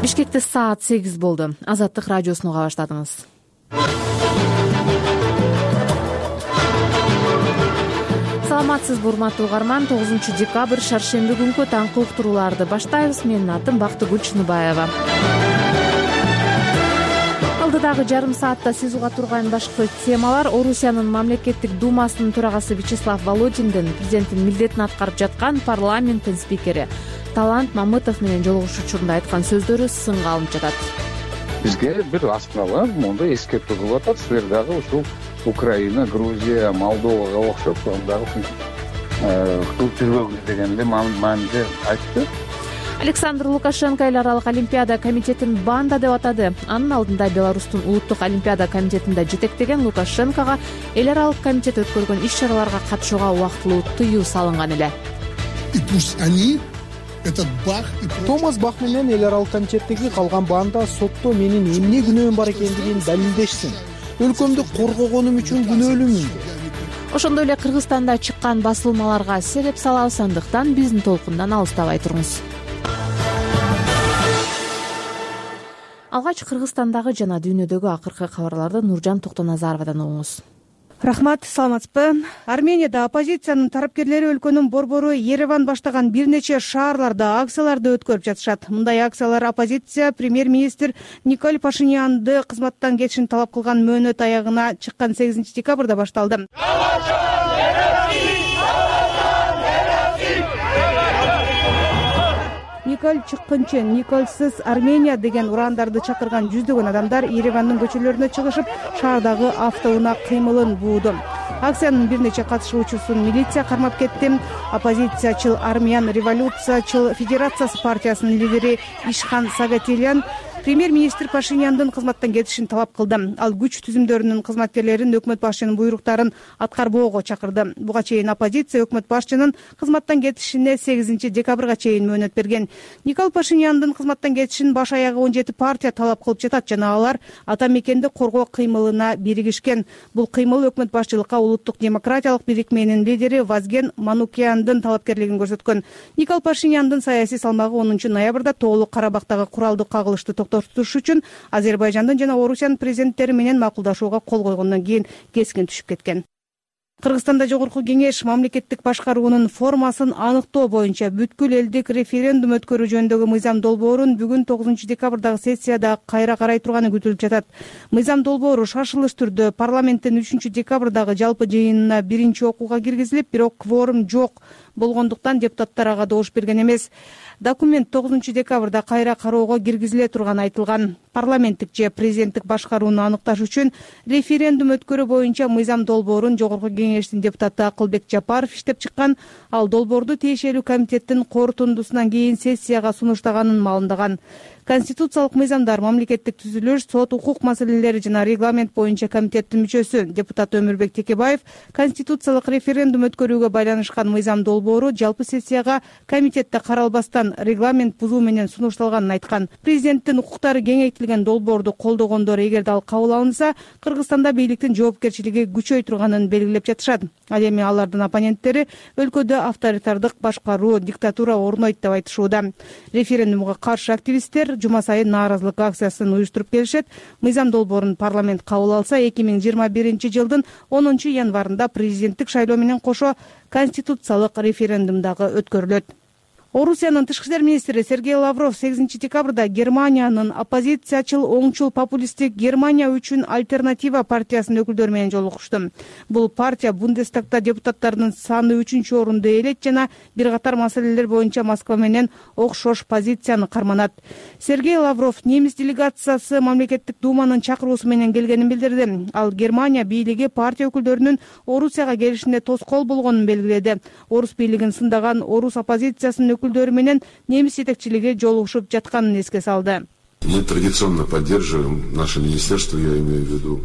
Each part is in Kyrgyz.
Бишкекте саат 8 болду. Азаттык радиосуну уга баштадыңыз. Саламатсызбы, урматтуу угарман. 9 декабрь шаршемби күнкү таңкы уктурууларды баштайбыз. Менин атым Бактыгүл Чыныбаева. Алдыдагы жарым саатта сиз уга турган башкы темалар: Орусиянын мамлекеттик думасынын төрагасы Вячеслав Володиндин президенттин милдетин аткарып жаткан парламенттин спикери Талант Мамытов менен жолугушуу учурунда айткан сөздөрү сынга алынып жатат. Бизге бир астына мондай эскертүү кылып атат: силер дагы ушул Украина, Грузия, Молдовага окшоп дагы кылып жүрбөгүлөр дегенде мааниде айтты. Александр Лукашенко эл аралык олимпиада комитетин банда деп атады. Анын алдында Беларустун улуттук олимпиада комитетинде жетектеген Лукашенкого эл аралык комитет өткөргөн иш-чараларга катышууга убактылуу тыюу салынган эле. Томас Бах менен эл аралык комитеттеги калган банда сотто менин эмне күнөөм бар экендигин далилдешсин. Өлкөмдү коргогонум үчүн күнөөлүүмүн. Ошондой эле Кыргызстанда чыккан басылмаларга сереп салабыз, андыктан биздин толкундан алыстабай туруңуз. Алгач Кыргызстандагы жана дүйнөдөгү акыркы кабарларды Нуржан Токтоназаровадан угуңуз. Рахмат, саламатсызбы. Арменияда оппозициянын тарапкерлери өлкөнүн борбору Ереван баштаган бир нече шаарларда акцияларды өткөрүп жатышат. Мындай акциялар оппозиция премьер-министр Николь Пашинянды кызматтан кетишин талап кылган мөөнөт аягына чыккан 8 декабрда башталды. Николь чыккынчы, Никольсыз Армения деген урандарды чакырган жүздөгөн адамдар Еревандын көчөлөрүнө чыгышып, шаардагы автоунаа кыймылын бууду. Акциянын бир нече катышуучусун милиция кармап кетти. Оппозициячыл Армян революциячыл федерациясы партиясынын лидери Ишхан Сагатильян премьер-министр Пашиняндын кызматтан кетишин талап кылды. Ал күч түзүмдөрүнүн кызматкерлерин өкмөт башчынын буйруктарын аткарбоого чакырды. Буга чейин оппозиция өкмөт башчынын кызматтан кетишине 8 декабрга чейин мөөнөт берген. Николь Пашиняндын кызматтан кетишин баш аягы 17 партия талап кылып жатат жана алар ата мекенди коргоо кыймылына биригишкен. Бул кыймыл өкмөт башчылыкка улуттук демократиялык бирикменин лидери Вазген Манукяндын талапкерлигин көрсөткөн. Николь Пашиняндын саясий салмагы 10 ноябрда Тоолук Карабактагы куралдык кагылышты токтотуш үчүн Азербайжандын жана Орусиянын президенттери менен макулдашууга кол койгондон кийин кескин түшүп кеткен. Кыргызстанда Жогорку Кеңеш мамлекеттик башкаруунун формасын аныктоо боюнча бүткүл элдик референдум өткөрүү жөнүндөгү мыйзам долбоорун бүгүн 9 декабрдагы сессияда кайра карай турганы күтүлүп жатат. Мыйзам долбоору шашылыш түрдө парламенттин 3 декабрдагы жалпы жыйынына биринчи окууга киргизилип, бирок кворум жок болгондуктан депутаттар ага добуш берген эмес. Документ 9 декабрда кайра кароого киргизиле турганы айтылган. Парламенттик же президенттик башкарууну аныкташ үчүн референдум өткөрүү боюнча мыйзам долбоорун Жогорку Кеңештин депутаты Акылбек Жапаров иштеп чыккан. Ал долбоорду тиешелүү комитеттин корутундусунан кийин сессияга сунуштаганын маалымдаган. Конституциялык мыйзамдар, мамлекеттик түзүлүш, сот, укук маселелери жана регламент боюнча комитеттин мүчөсү депутат Өмүрбек Текебаев конституциялык референдум өткөрүүгө байланышкан мыйзам долбоору жалпы сессияга комитетте каралбастан регламент бузуу менен сунушталганын айткан. Президенттин укуктары кеңейтилген долбоорду колдогондор эгерде ал кабыл алынса, Кыргызстанда бийликтин жоопкерчилиги күчөй турганын белгилеп жатышат. Ал эми алардын оппоненттери өлкөдө авторитардык башкаруу, диктатура орнойт деп айтышууда. Референдумга каршы активисттер жума сайын нааразылык акциясын уюштуруп келишет. Мыйзам долбоорун парламент кабыл алса, 2021 жылдын 10 январында президенттик шайлоо менен кошо конституциялык референдум дагы өткөрүлөт. Орусиянын тышкы иштер министри Сергей Лавров 8 декабрда Германиянын оппозициячыл оңчул популисттик Германия үчүн альтернатива партиясынын өкүлдөрү менен жолугушту. Бул партия Бундестагда депутаттардын саны 3-орунду ээлейт жана бир катар маселелер боюнча Москва менен окшош позицияны карманат. Сергей Лавров немис делегациясы мамлекеттик думанын чакыруусу менен келгенин билдирди. Ал Германия бийлиги партия өкүлдөрүнүн Орусияга келишине тоскоол болгонун белгиледи. Орус бийлигин сындаган орус оппозициясынын өкүлдөрү менен немис жетекчилиги жолугушуп жатканын эске салды. Мы традиционно поддерживаем наше министерство, я имею в виду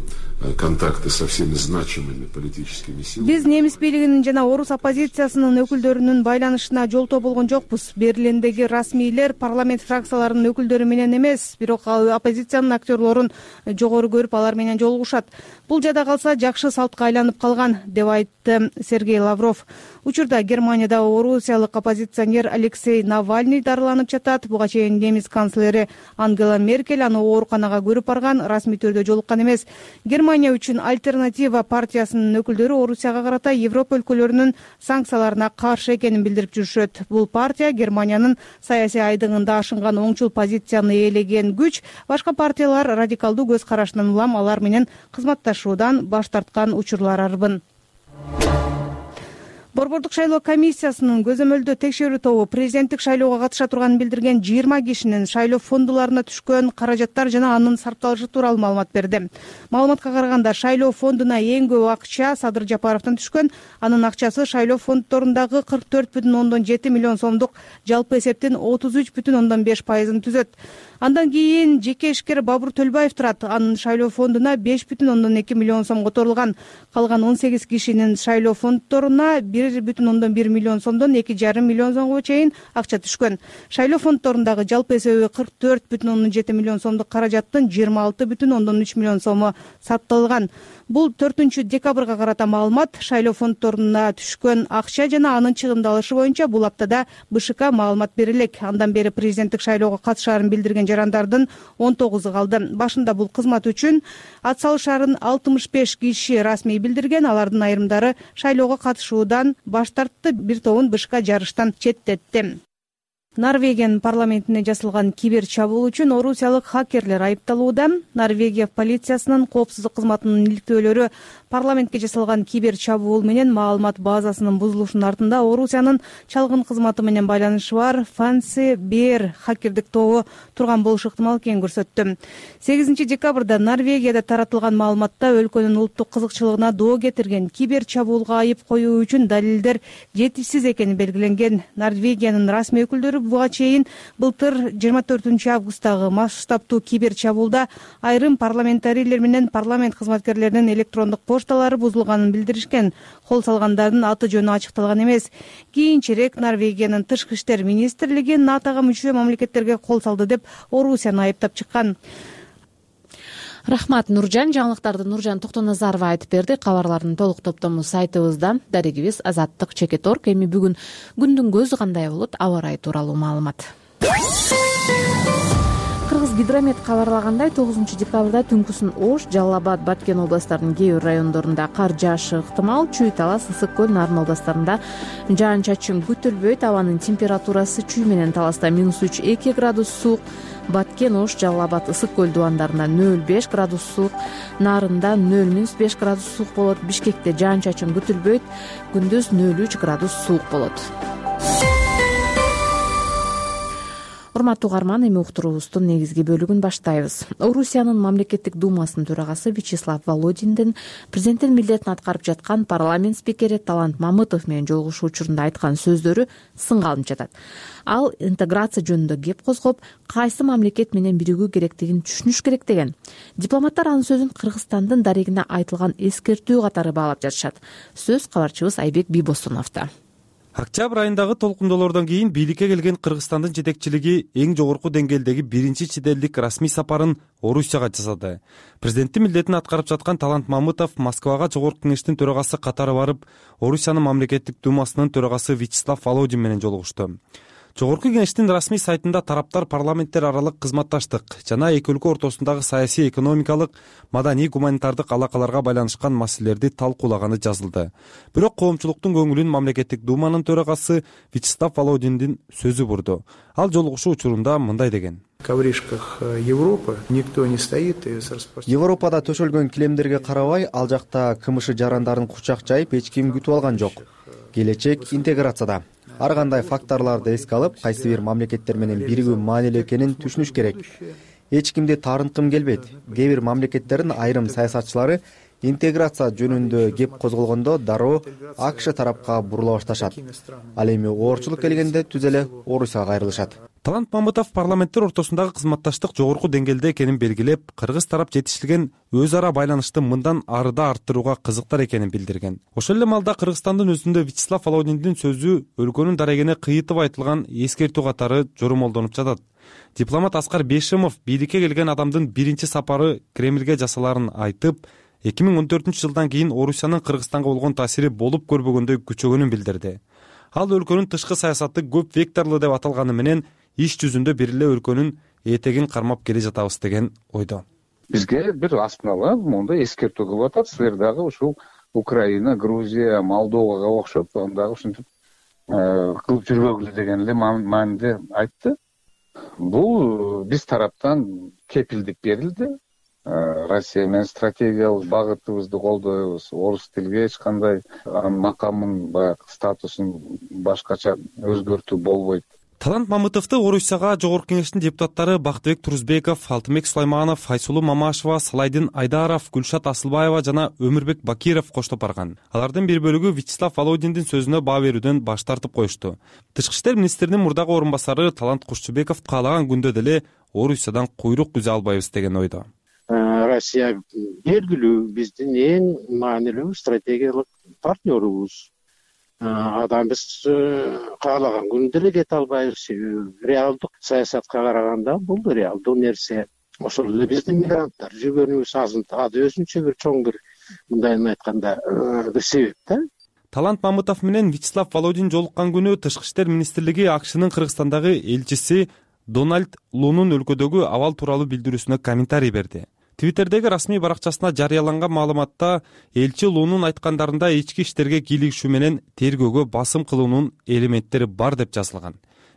контакты со всеми значимыми политическими силами. Биз немис бийлигинин жана орус оппозициясынын өкүлдөрүнүн байланышына жолтоо болгон жокпуз. Берлиндеги расмийлер парламент фракцияларынын өкүлдөрү менен эмес, бирок оппозициянын актерлорун жогору көрүп, алар менен жолугушат. Бул жада калса жакшы салтка айланып калган, деп айтты Сергей Лавров. Учурда Германияда орусиялык оппозиционер Алексей Навальный дарыланып жатат. Буга чейин немис канцлери Ангела Меркель аны ооруканага көрүп барган, расмий түрдө жолуккан эмес. Германия үчүн Альтернатива партиясынын өкүлдөрү Орусияга карата Европа өлкөлөрүнүн санкцияларына каршы экенин билдирип жүрүшөт. Бул партия Германиянын саясий айдыгында ашынган оңчул позицияны ээлеген күч. Башка партиялар радикалдуу көз карашынан улам алар менен кызматташуудан баш тарткан учурлар арбын. Борбордук шайлоо комиссиясынын көзөмөлдөө текшерүү тобу президенттик шайлоого катыша турганын билдирген 20 кишинин шайлоо фондуларына түшкөн каражаттар жана анын сарпталышы тууралуу маалымат берди. Маалыматка караганда шайлоо фондуна эң көп акча Садыр Жапаровдон түшкөн. Анын акчасы шайлоо фонддорундагы 44,7 миллион сомдук жалпы эсептин 33,5% түзөт. Андан кийин жеке ишкер Бабур Төлбаев турат. Анын шайлоо фондуна 5,2 миллион сом которулган. Калган 18 кишинин шайлоо фонддоруна 1,1 миллион сомдон 2,5 миллион сомго чейин акча түшкөн. Шайлоо фонддорундагы жалпы эсеби 44,7 миллион сомдук каражаттын 26,3 миллион сому сатталган. Бул 4 декабрга карата маалымат. Шайлоо фонддоруна түшкөн акча жана анын чыгымдалышы боюнча бул аптада БШК маалымат берилек. Андан бери президенттик шайлоого катышаарын билдирген жарандардын 19 калды. Башында бул кызмат үчүн ат салышаарын 65 киши расмий билдирген. Алардын айрымдары шайлоого катышуудан баш тартты, бир тобун БШК жарыштан четтетти. Норвегиянын парламентине жасалган кибер чабуул үчүн орусиялык хакерлер айыпталууда. Норвегия полициясынын коопсуздук кызматынын иликтөөлөрү парламентке жасалган кибер чабуул менен маалымат базасынын бузулушунун артында Орусиянын чалгын кызматы менен байланышы бар Fancy Bear хакердик тобу турган болушу ыктымал экенин көрсөттү. 8 декабрда Норвегияда таратылган маалыматта өлкөнүн улуттук кызыкчылыгына доо кетирген кибер чабуулга айып коюу үчүн далилдер жетишсиз экени белгиленген. Норвегиянын расмий өкүлдөрү буга чейин былтыр 24 августтагы масштабтуу кибер чабуулда айрым парламентарийлер менен парламент кызматкерлеринин электрондук пошталары бузулганын билдиришкен. Кол салгандардын аты жөнү ачыкталган эмес. Кийинчерээк Норвегиянын тышкы иштер министрлиги НАТОго мүчө мамлекеттерге кол салды деп Орусияны айыптап чыккан. Рахмат, Нуржан. Жаңылыктарды Нуржан Токтоназарова айтып берди. Кабарлардын толук топтому сайтыбызда. Дарегибиз Азаттык.org. Эми бүгүн күндүн көзү кандай болот? Аба ырайы тууралуу маалымат. Кыргыз гидромет кабарлагандай 9 декабрда түнкүсүн Ош, Жалал Абад, Баткен областарынын кээ бир райондорунда кар жаашы ыктымал. Чүй, Талас, Ысык көл, Нарын областарында жаан-чачын күтүлбөйт. Абанын температурасы Чүй менен Таласта -3-2 градус суук, Баткен, Ош, Жалал Абад, Ысык көл дубандарында 0-5 градус суук, Нарында 0-5 градус суук болот. Бишкекте жаан-чачын күтүлбөйт, күндүз 0-3 градус суук болот. Урматтуу угарман, эми уктуруубуздун негизги бөлүгүн баштайбыз. Орусиянын мамлекеттик думасынын төрагасы Вячеслав Володиндин президенттин милдетин аткарып жаткан парламент спикери Талант Мамытов менен жолугушуу учурунда айткан сөздөрү сынга алынып жатат. Ал интеграция жөнүндө кеп козгоп, кайсы мамлекет менен биригүү керектигин түшүнүш керек деген. Дипломаттар анын сөзүн Кыргызстандын дарегине айтылган эскертүү катары баалап жатышат. Сөз кабарчыбыз Айбек Бийбосуновдо. Октябрь айындагы толкундоолордон кийин бийликке келген Кыргызстандын жетекчилиги эң жогорку деңгээлдеги биринчи чет элдик расмий сапарын Орусияга жасады. Президенттин милдетин аткарып жаткан Талант Мамытов Москвага жогорку кеңештин төрагасы катары барып, Орусиянын мамлекеттик думасынын төрагасы Вячеслав Володин менен жолугушту. Жогорку кеңештин расмий сайтында тараптар парламенттер аралык кызматташтык жана эки өлкө ортосундагы саясий, экономикалык, маданий, гуманитардык алакаларга байланышкан маселелерди талкуулаганы жазылды. Бирок коомчулуктун көңүлүн мамлекеттик думанын төрагасы Вячеслав Володиндин сөзү бурду. Ал жолугушуу учурунда мындай деген: ковришках Европы никто не стоит. Европада төшөлгөн килемдерге карабай, ал жакта кымышы жарандарын кучак жайып эч ким күтүп алган жок. Келечек интеграцияда. Ар кандай факторлорду эске алып, кайсы бир мамлекеттер менен биригүү маанилүү экенин түшүнүш керек. Эч кимди таарынткым келбейт. Кээ бир мамлекеттердин айрым саясатчылары интеграция жөнүндө кеп козголгондо дароо АКШ тарапка бурула башташат. Ал эми оорчулук келгенде түз эле Орусияга кайрылышат. Талант Мамытов парламенттер ортосундагы кызматташтык жогорку деңгээлде экенин белгилеп, кыргыз тарап жетиштирген өз ара байланышты мындан ары да арттырууга кызыктар экенин билдирген. Ошол эле маалда Кыргызстандын өзүндө Вячеслав Володиндин сөзү өлкөнүн дарегине кыйытып айтылган эскертүү катары жормолдонуп жатат. Дипломат Аскар Бейшимов бийликке келген адамдын биринчи сапары Кремльге жасаларын айтып, 2014-жылдан кийин Орусиянын Кыргызстанга болгон таасири болуп көрбөгөндөй күчөгөнүн билдирди. Ал өлкөнүн тышкы саясаты көп векторлуу деп аталганы менен иш жүзүндө бир эле өлкөнүн этегин кармап келе жатабыз деген ойдо. Бизге бир асмала мондай эскертүү кылып атат. Силер дагы ушул Украина, Грузия, Молдовага окшоп дагы ушинтип кылып жүрбөгүлө деген эле мааниде айтты. Бул биз тараптан кепилдик берилди. Россия менен стратегиялык багытыбызды колдойбуз. Орус тилге эч кандай макамын, баягы статусун башкача өзгөртүү болбойт. Талант Мамытовду Орусияга Жогорку Кеңештин депутаттары Бактыбек Турузбеков, Алтынбек Сулайманов, Айсулуу Мамашева, Салайдин Айдаров, Гүлшат Асылбаева жана Өмүрбек Бакиров коштоп барган. Алардын бир бөлүгү Вячеслав Володиндин сөзүнө баа берүүдөн баш тартып коюшту. Тышкы иштер министринин мурдагы орун басары Талант Кушчубеков каалаган күндө деле Орусиядан куйрук үзе албайбыз деген ойдо. Россия белгилүү биздин эң маанилүү стратегиялык партнерубуз. Биз каалаган күндө деле кете албайбыз. Реалдык саясатка караганда бул реалдуу нерсе. Ошол эле биздин мигранттар жүргөнүбүз ады өзүнчө бир чоң бир мындайын айтканда бир себеп да. Талант Мамытов менен Вячеслав Володин жолуккан күнү Тышкы иштер министрлиги АКШнын Кыргызстандагы элчиси Дональд Лунун өлкөдөгү абал тууралуу билдирүүсүнө комментарий берди. Твиттердеги расмий баракчасына жарыяланган маалыматта элчи Лунун айткандарында ички иштерге кийлигишүү менен тергөөгө басым кылуунун элементтери бар деп жазылган.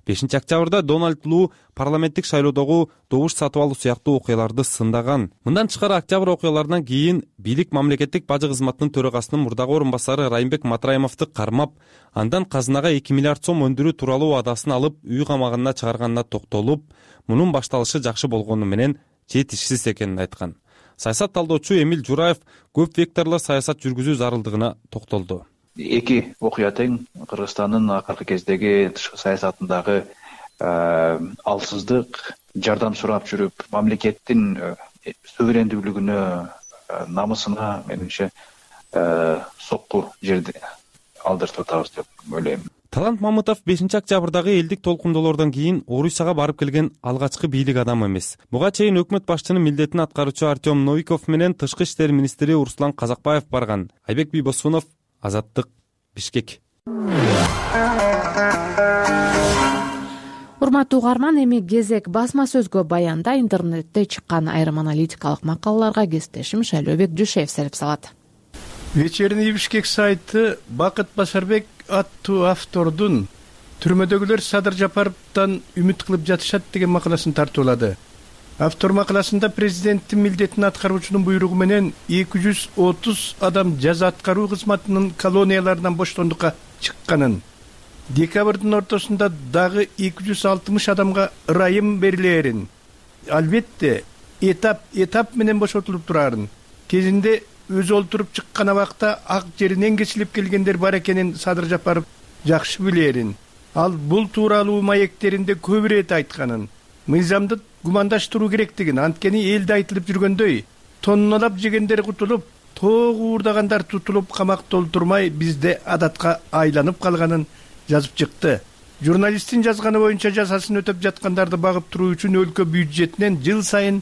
5-октябрда Дональд Лу парламенттик шайлоодогу добуш сатып алуу сыяктуу окуяларды сындаган. Мындан тышкары октябрь окуяларынан кийин бийлик мамлекеттик бажы кызматынын төрагасынын мурдагы орун басары Райымбек Матраимовду кармап, андан казынага 2 миллиард сом өндүрүү тууралуу абадасын алып, үй камагына чыгарганына токтолуп, мунун башталышы жакшы болгону менен жетишсиз экенин айткан. Саясат талдоочу Эмил Жураев көп векторлуу саясат жүргүзүү зарылдыгына токтолду. Эки окуя тең Кыргызстандын акыркы кездеги тышкы саясатындагы алсыздык, жардам сурап жүрүп, мамлекеттин суверендүүлүгүнө, намысына менимче сокку жерди алдыртып атабыз деп ойлойм. Талант Мамытов 5-октябрдагы элдик толкундоолордон кийин Орусияга барып келген алгачкы бийлик адамы эмес. Буга чейин өкмөт башчынын милдетин аткаруучу Артем Новиков менен Тышкы иштер министри Руслан Казакбаев барган. Айбек Бийбосунов, Азаттык, Бишкек. Урматтуу угарман, эми кезек басма сөзгө баянда интернетте чыккан айрым аналитикалык макалаларга кесиптешим Шайлообек Жушеев сереп салат. Вечерний Бишкек сайты Бакыт Басарбек аттуу автордун түрмөдөгүлөр Садыр Жапаровдон үмүт кылып жатышат деген макаласын тартуулады. Автор макаласында президенттин милдетин аткаруучунун буйругу менен 230 адам жаза аткаруу кызматынын колонияларынан боштондукка чыкканын, декабрдын ортосунда дагы 260 адамга ырайым берилээрин, албетте этап менен бошотулуп турарын, кезинде өзү олтуруп чыккан абакта ак жеринен кесилип келгендер бар экенин Садыр Жапаров жакшы билерин. Ал бул тууралуу маектеринде көп ирет айтканын, мыйзамды гумандаштыруу керектигин, анткени элде айтылып жүргөндөй тонналап жегендер кутулуп, тоогу уурдагандар тутулуп камакта олтурмай бизде адатка айланып калганын жазып чыкты. Журналисттин жазганы боюнча жазасын өтөп жаткандарды багып туруу үчүн өлкө бюджетинен жыл сайын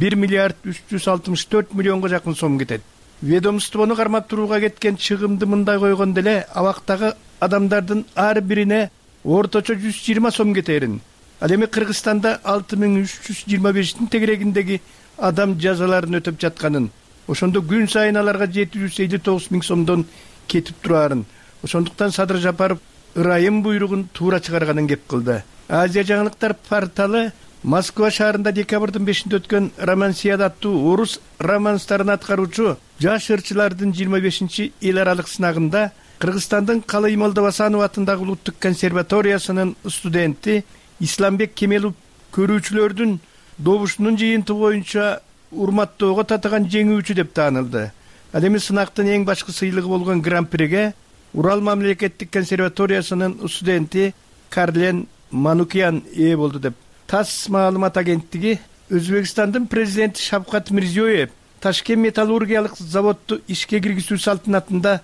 1 миллиард 364 миллионго жакын сом кетет. Ведомствону кармап турууга кеткен чыгымды мындай койгондо эле абактагы адамдардын ар бирине орточо 120 сом кетерин. Ал эми Кыргызстанда 6325-тин тегерегиндеги адам жазаларын өтөп жатканын, ошондо күн сайын аларга 759 миң сомдон кетип турарын. Ошондуктан Садыр Жапаров ырайым буйругун туура чыгарганын кеп кылды. Азия жаңылыктар порталы Москва шаарында декабрдын 5-инде өткөн Романсияда аттуу орус романстарын аткаруучу жаш ырчылардын 25-чи эл аралык сынагында Кыргызстандын Калый Молдовасанов атындагы улуттук консерваториясынын студенти Исламбек Кемелов көрүүчүлөрдүн добушунун жыйынтыгы боюнча урматтоого татыган жеңүүчү деп таанылды. Ал эми сынактын эң башкы сыйлыгы болгон гран-приге Урал мамлекеттик консерваториясынын студенти Карлен Манукян ээ болду деп ТАСС маалымат агенттиги Өзбекстандын президенти Шавкат Мирзиёев Ташкент металлургиялык заводду ишке киргизүү салтанатында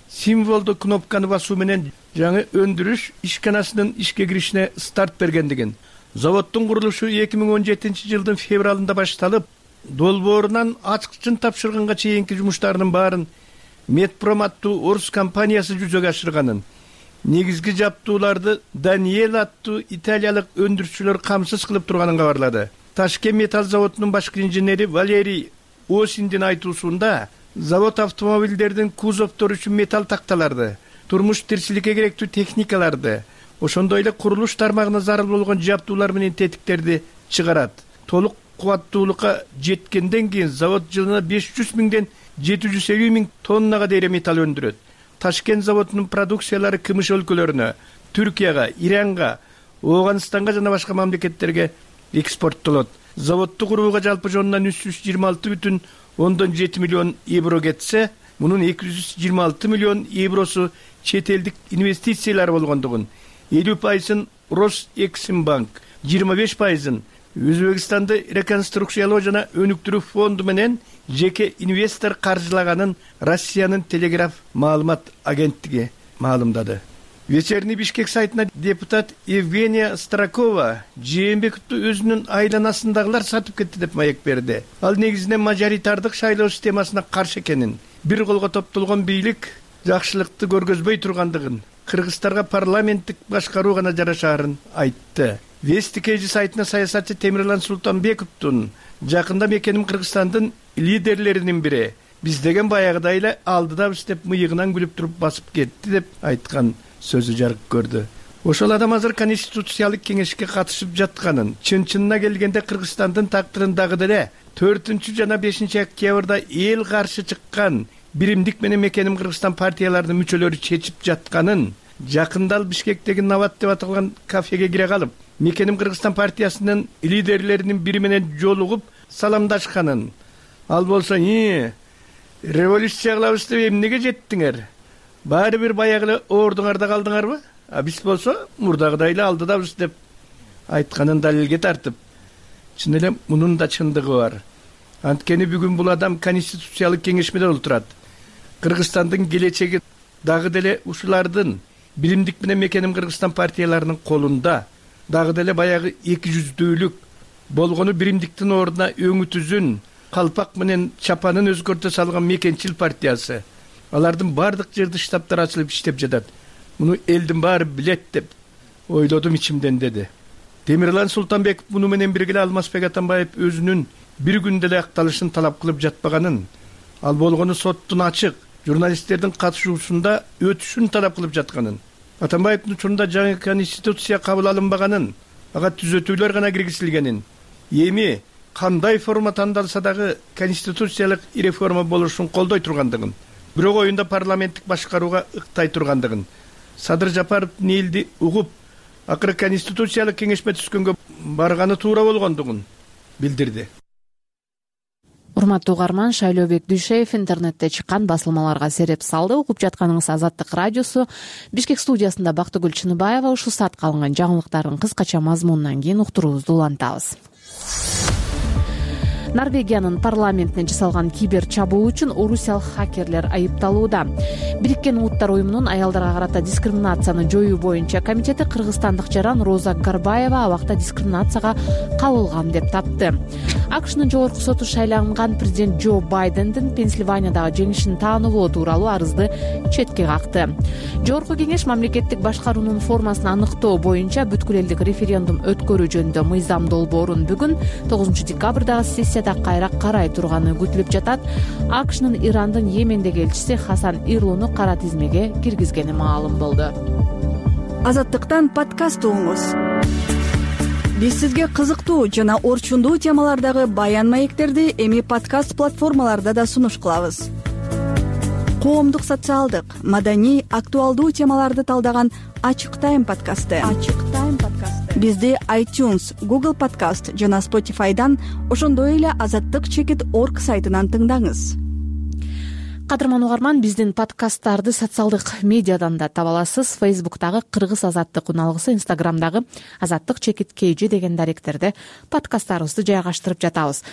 символдуу кнопканы басуу менен жаңы өндүрүш ишканасынын ишке киришине старт бергендигин, заводдун курулушу 2017-жылдын февралында башталып, долбоорунан ачкычын тапшырганга чейинки жумуштарынын баарын Медпром аттуу орус компаниясы жүзөгө ашырганын, негизги жаптууларды Даниэл аттуу италиялык өндүрүүчүлөр камсыз кылып турганын кабарлады. Ташкент металл заводунун башкы инженери Валерий Осиндин айтуусунда, завод автомобилдердин кузовтору үчүн металл такталарды, турмуш тирчиликке керектүү техникаларды, ошондой эле курулуш тармагына зарыл болгон жаптуулар менен тетиктерди чыгарат. Толук кубаттуулукка жеткенден кийин завод жылына 500 миңден 750 миң тоннага дейре металл өндүрөт. Ташкент заводунун продукциялары КМШ өлкөлөрүнө, Түркияга, Иранга, Ооганстанга жана башка мамлекеттерге экспорттолот. Заводду курууга жалпы жонунан 326,7 миллион евро кетсе, мунун 226 миллион евросу чет элдик инвестициялар болгондугун, 50% Росэксимбанк, 25% Өзбекстанды реконструкциялоо жана өнүктүрүү фонду менен жеке инвестор каржылаганын Россиянын телеграф маалымат агенттиги маалымдады. Вечерний Бишкек сайтына депутат Евгения Старакова Жээнбековду өзүнүн айланасындагылар сатып кетти деп маек берди. Ал негизинен мажоритардык шайлоо системасына каршы экенин, бир колго топтолгон бийлик жакшылыкты көргөзбөй тургандыгын, кыргыздарга парламенттик башкаруу гана жарашаарын айтты. Вести Кежи сайтына саясатчы Темирлан Султанбековдун жакында мекеним Кыргызстандын лидерлеринин бири биз деген баягыдай эле алдыдабыз деп мыйыгынан күлүп туруп басып кетти деп айткан сөзү жарык көрдү. Ошол адам азыр Конституциялык кеңешке катышып жатканын, чын-чынына келгенде Кыргызстандын тактырын дагы деле 4 жана 5 октябрда эл каршы чыккан биримдик менен мекеним Кыргызстан партияларынын мүчөлөрү чечип жатканын, жакында ал Бишкектеги Нават деп аталган кафеге кире калып, мекеним Кыргызстан партиясынын лидерлеринин бири менен жолугуп саламдашканын, ал болсо революция кылабыз деп эмнеге жеттиңер? Баары бир баягы эле оордуңарда калдыңарбы? Биз болсо мурдагыдай эле алдыдабыз деп айтканын далилге тартып, чын эле мунун да чындыгы бар. Анткени бүгүн бул адам Конституциялык кеңешмеде отурат. Кыргызстандын келечеги дагы деле ушулардын биримдик менен мекеним Кыргызстан партияларынын колунда. Дагы деле баягы 200-дүүлүк болгону биримдиктин ордуна өңү түзүн, калпак менен чапанын өзгөртө салган мекенчил партиясы. Алардын бардык жерде штабтары ачылып иштеп жатат. Муну элдин баары билет деп ойлодум ичимден, деди. Темирлан Султанбеков муну менен бирге Алмазбек Атамбаев өзүнүн бир күндө эле акталышын талап кылып жатпаганын, ал болгону соттун ачык, журналисттердин катышуусунда өтүшүн талап кылып жатканын, Атамбаевдин учурунда жаңы конституция кабыл алынбаганын, ага түзөтүүлөр гана киргизилгенин, эми кандай форма тандалса дагы конституциялык реформа болушун колдой тургандыгын, бирок оюнда парламенттик башкарууга ыктай тургандыгын, Садыр Жапаров элди угуп, акыры конституциялык кеңешме түзгөнгө барганы туура болгондугун билдирди. Урматтуу угарман, Шайлообек Дүйшеев интернетте чыккан басылмаларга сереп салды. Угуп жатканыңыз Азаттык радиосу. Бишкек студиясында Бактыгүл Чыныбаева. Ушул саатка алынган жаңылыктардын кыскача мазмунунан кийин уктуруубузду улантабыз. Норвегиянын парламентине жасалган кибер чабуу үчүн орусиялык хакерлер айыпталууда. Бириккен Улуттар уюмунун аялдарга карата дискриминацияны жоюу боюнча комитети кыргызстандык жаран Роза Гарбаева абакта дискриминацияга кабылган деп тапты. АКШнын жогорку соту шайланган президент Джо Байдендин Пенсильваниядагы жеңишин таанылоо тууралуу арызды четке какты. Жогорку кеңеш мамлекеттик башкаруунун формасын аныктоо боюнча бүткүл элдик референдум өткөрүү жөнүндө мыйзам долбоорун бүгүн 9 декабрдагы сессияда кайра карай турганы күтүлүп жатат. АКШнын Ирандын Йемендеги элчиси Хасан Ирлууну кара тизмеге киргизгени маалым болду. Азаттыктан подкаст угуңуз. Биз сизге кызыктуу жана орчундуу темалардагы баян маектерди эми подкаст платформаларда да сунуш кылабыз. Коомдук, социалдык, маданий, актуалдуу темаларды талдаган Ачык Тайм подкасты. Бизди iTunes, Google Podcast жана Spotify'дан, ошондой эле azattik.org сайтынан тыңдаңыз. кадырман угарман, биздин подкасттарды социалдык медиадан да таба аласыз. Фейсбуктагы Кыргыз азаттык уналгысы, Инстаграмдагы Азаттык _KG деген даректерде подкасттарыбызды жайгаштырып жатабыз.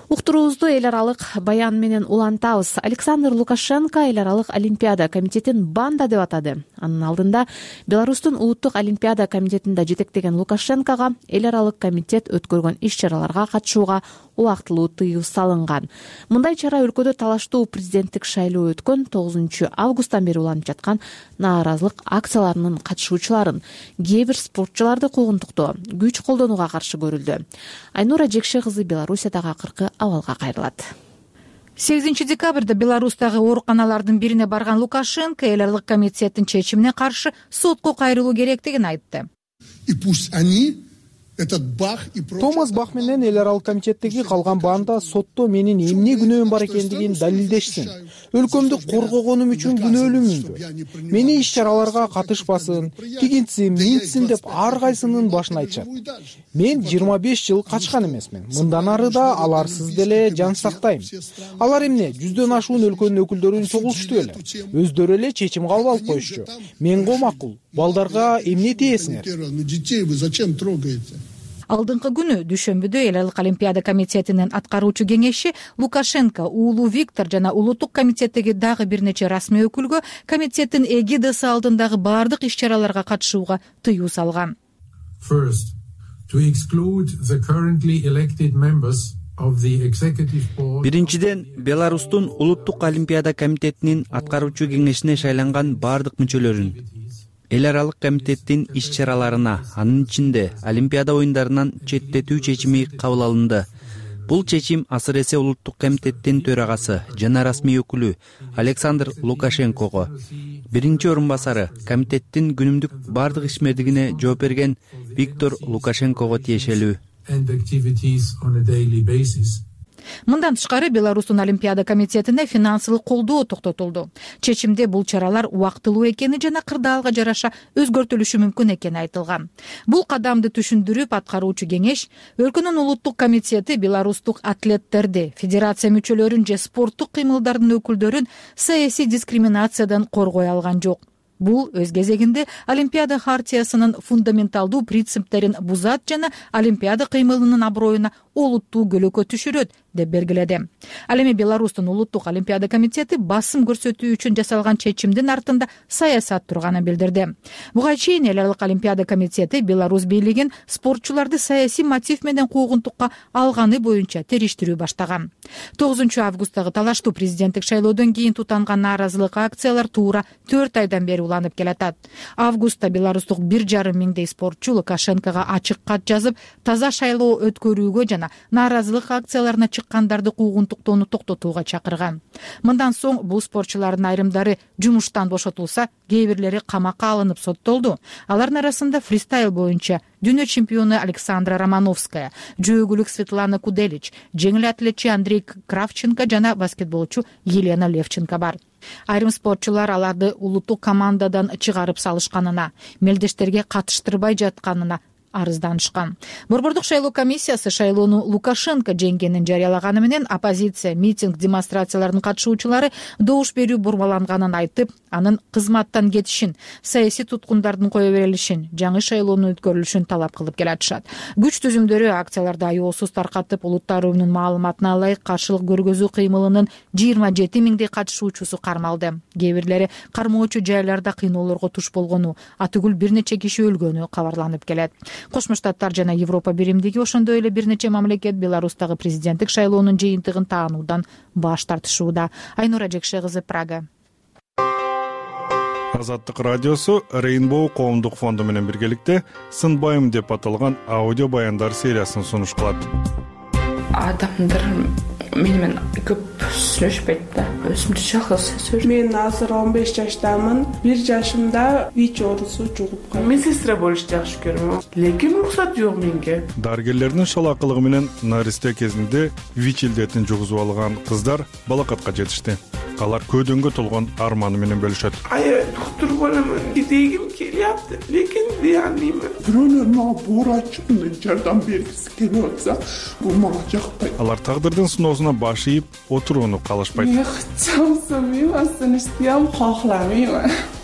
Уктуруубузду эл аралык баян менен улантабыз. Александр Лукашенко эл аралык Олимпиада комитетин банда деп атады. Анын алдында Беларустун улуттук Олимпиада комитетинде жетектеген Лукашенкого эл аралык комитет өткөргөн иш-чараларга катышууга убактылуу тыюу салынган. Мындай чара өлкөдө талаштуу президенттик шайлоо өткөн 9 августтан бери уланып жаткан нааразылык акцияларынын катышуучуларын, кээ бир спортчуларды куугунтуктоо, күч колдонууга каршы көрүлдү. Айнура Жекше кызы Белоруссиядагы акыркы абалга кайрылат. 8 декабрда Беларустагы ооруканалардын бирине барган Лукашенко эл аралык комитеттин чечимине каршы сотко кайрылуу керектигин айтты. Томас Бах менен эл аралык комитеттеги калган банда сотто менин эмне күнөөм бар экендигин далилдешсин. Өлкөмдү коргогонум үчүн күнөөлүүмүнбү? Мени иш-чараларга катышпасын, тигинтсин, минтсин деп ар кайсынын башын айтышат. Мен 25 жыл качкан эмесмин. Мындан ары да аларсыз деле жан сактайм. Алар эмне, 100дөн ашуун өлкөнүн өкүлдөрүн чогулушту эле. Өздөрү эле чечим кабыл алып коюшчу. Менго макул. Балдарга эмне тиесиңер? Алдыңкы күнү дүйшөмбүдө эл аралык Олимпиада комитетинин аткаруучу кеңеши Лукашенко, уулу Виктор жана улуттук комитеттеги дагы бир нече расмий өкүлгө комитеттин эгидасы алдындагы баардык иш-чараларга катышууга тыюу салган. Биринчиден, Беларустун улуттук Олимпиада комитетинин аткаруучу кеңешине шайланган баардык мүчөлөрүн, эл аралык комитеттин иш-чараларына, анын ичинде Олимпиада оюндарынан четтетүү чечими кабыл алынды. Бул чечим азыр эсе улуттук комитеттин төрагасы жана расмий өкүлү Александр Лукашенкого, биринчи орун басары комитеттин күнүмдүк баардык ишмердигине жооп берген Виктор Лукашенкого тиешелүү. Мындан тышкары Беларустун Олимпиада комитетине финансылык колдоо токтотулду. Чечимде бул чаралар убактылуу экени жана кырдаалга жараша өзгөртүлүшү мүмкүн экени айтылган. Бул кадамды түшүндүрүп, аткаруучу кеңеш өлкөнүн улуттук комитети беларустук атлеттерди, федерация мүчөлөрүн же спорттук кыймылдардын өкүлдөрүн саясий дискриминациядан коргой алган жок. Бул өз кезегинде Олимпиада хартиясынын фундаменталдуу принциптерин бузат жана Олимпиада кыймылынын аброюна олуттуу көлөкө түшүрөт деп белгиледи. Ал эми Беларустун улуттук Олимпиада комитети басым көрсөтүү үчүн жасалган чечимдин артында саясат турганын билдирди. Буга чейин эл аралык Олимпиада комитети Беларусь бийлигин спортчуларды саясий мотив менен куугунтукка алганы боюнча териштирүү баштаган. 9 августтагы талаштуу президенттик шайлоодон кийин тутанган нааразылык акциялар туура 4 айдан бери уланып келатат. Августта беларустук 1,5 миңдей спортчу Лукашенкого ачык кат жазып, таза шайлоо өткөрүүгө жана нааразылык акцияларына чыккандарды куугунтуктоону токтотууга чакырган. Мындан соң бул спортчулардын айрымдары жумуштан бошотулса, кээ бирлери камакка алынып соттолду. Алардын арасында фристайл боюнча дүйнө чемпиону Александра Романовская, жөөгүлүк Светлана Куделич, жеңил атлетчи Андрей Кравченко жана баскетболчу Елена Левченко бар. Айрым спортчулар аларды улуттук командадан чыгарып салышканына, мелдештерге катыштырбай жатканына арызданышкан. Борбордук шайлоо комиссиясы шайлоону Лукашенко жеңгенин жарыялаганы менен оппозиция, митинг, демонстрациялардын катышуучулары добуш берүү бурмаланганын айтып, анын кызматтан кетишин, саясий туткундардын кое берилишин, жаңы шайлоонун өткөрүлүшүн талап кылып келатышат. Күч түзүмдөрү акцияларды аеосуз таркатып, улуттар уюмунун маалыматына ылайык каршылык көргөзүү кыймылынын 27 миңдей катышуучусу кармалды. Кээ бирлери кармоочу жайларда кыйноолорго туш болгону, атүгүл бир нече киши өлгөнү кабарланып келет. Кошмо Штаттар жана Европа биримдиги, ошондой эле бир нече мамлекет Беларустагы президенттик шайлоонун жыйынтыгын таануудан баш тартышууда. Айнура Жекше кызы, Прага. Азаттык радиосу Rainbow коомдук фонду менен биргеликте Сынбайым деп аталган аудио баяндар сериясын сунуш кылат. Адамдар менен көп сүйлөшпөйт да. Өзүмчө жалгыз сөз. Мен азыр 15 жаштамын. 1 жашымда ВИЧ оорусу жугуп калды. Мен сестра болушты жакшы көрөм. Лекин уруксат жок менге. Дарыгерлердин шалакылыгы менен наристе кезинде ВИЧ илдетин жугузуп алган кыздар балакатка жетишти. алар көөдөнгө толгон арманы менен бөлүшөт. Доктор боламын дегим келяпты, лекин дей албаймын. Бирөөлөр мага буурачымды жардам бергиси келип атса, бул мага жакпайт. Алар тагдырдын сыноосуна баш ийип отурууну каалашпайт.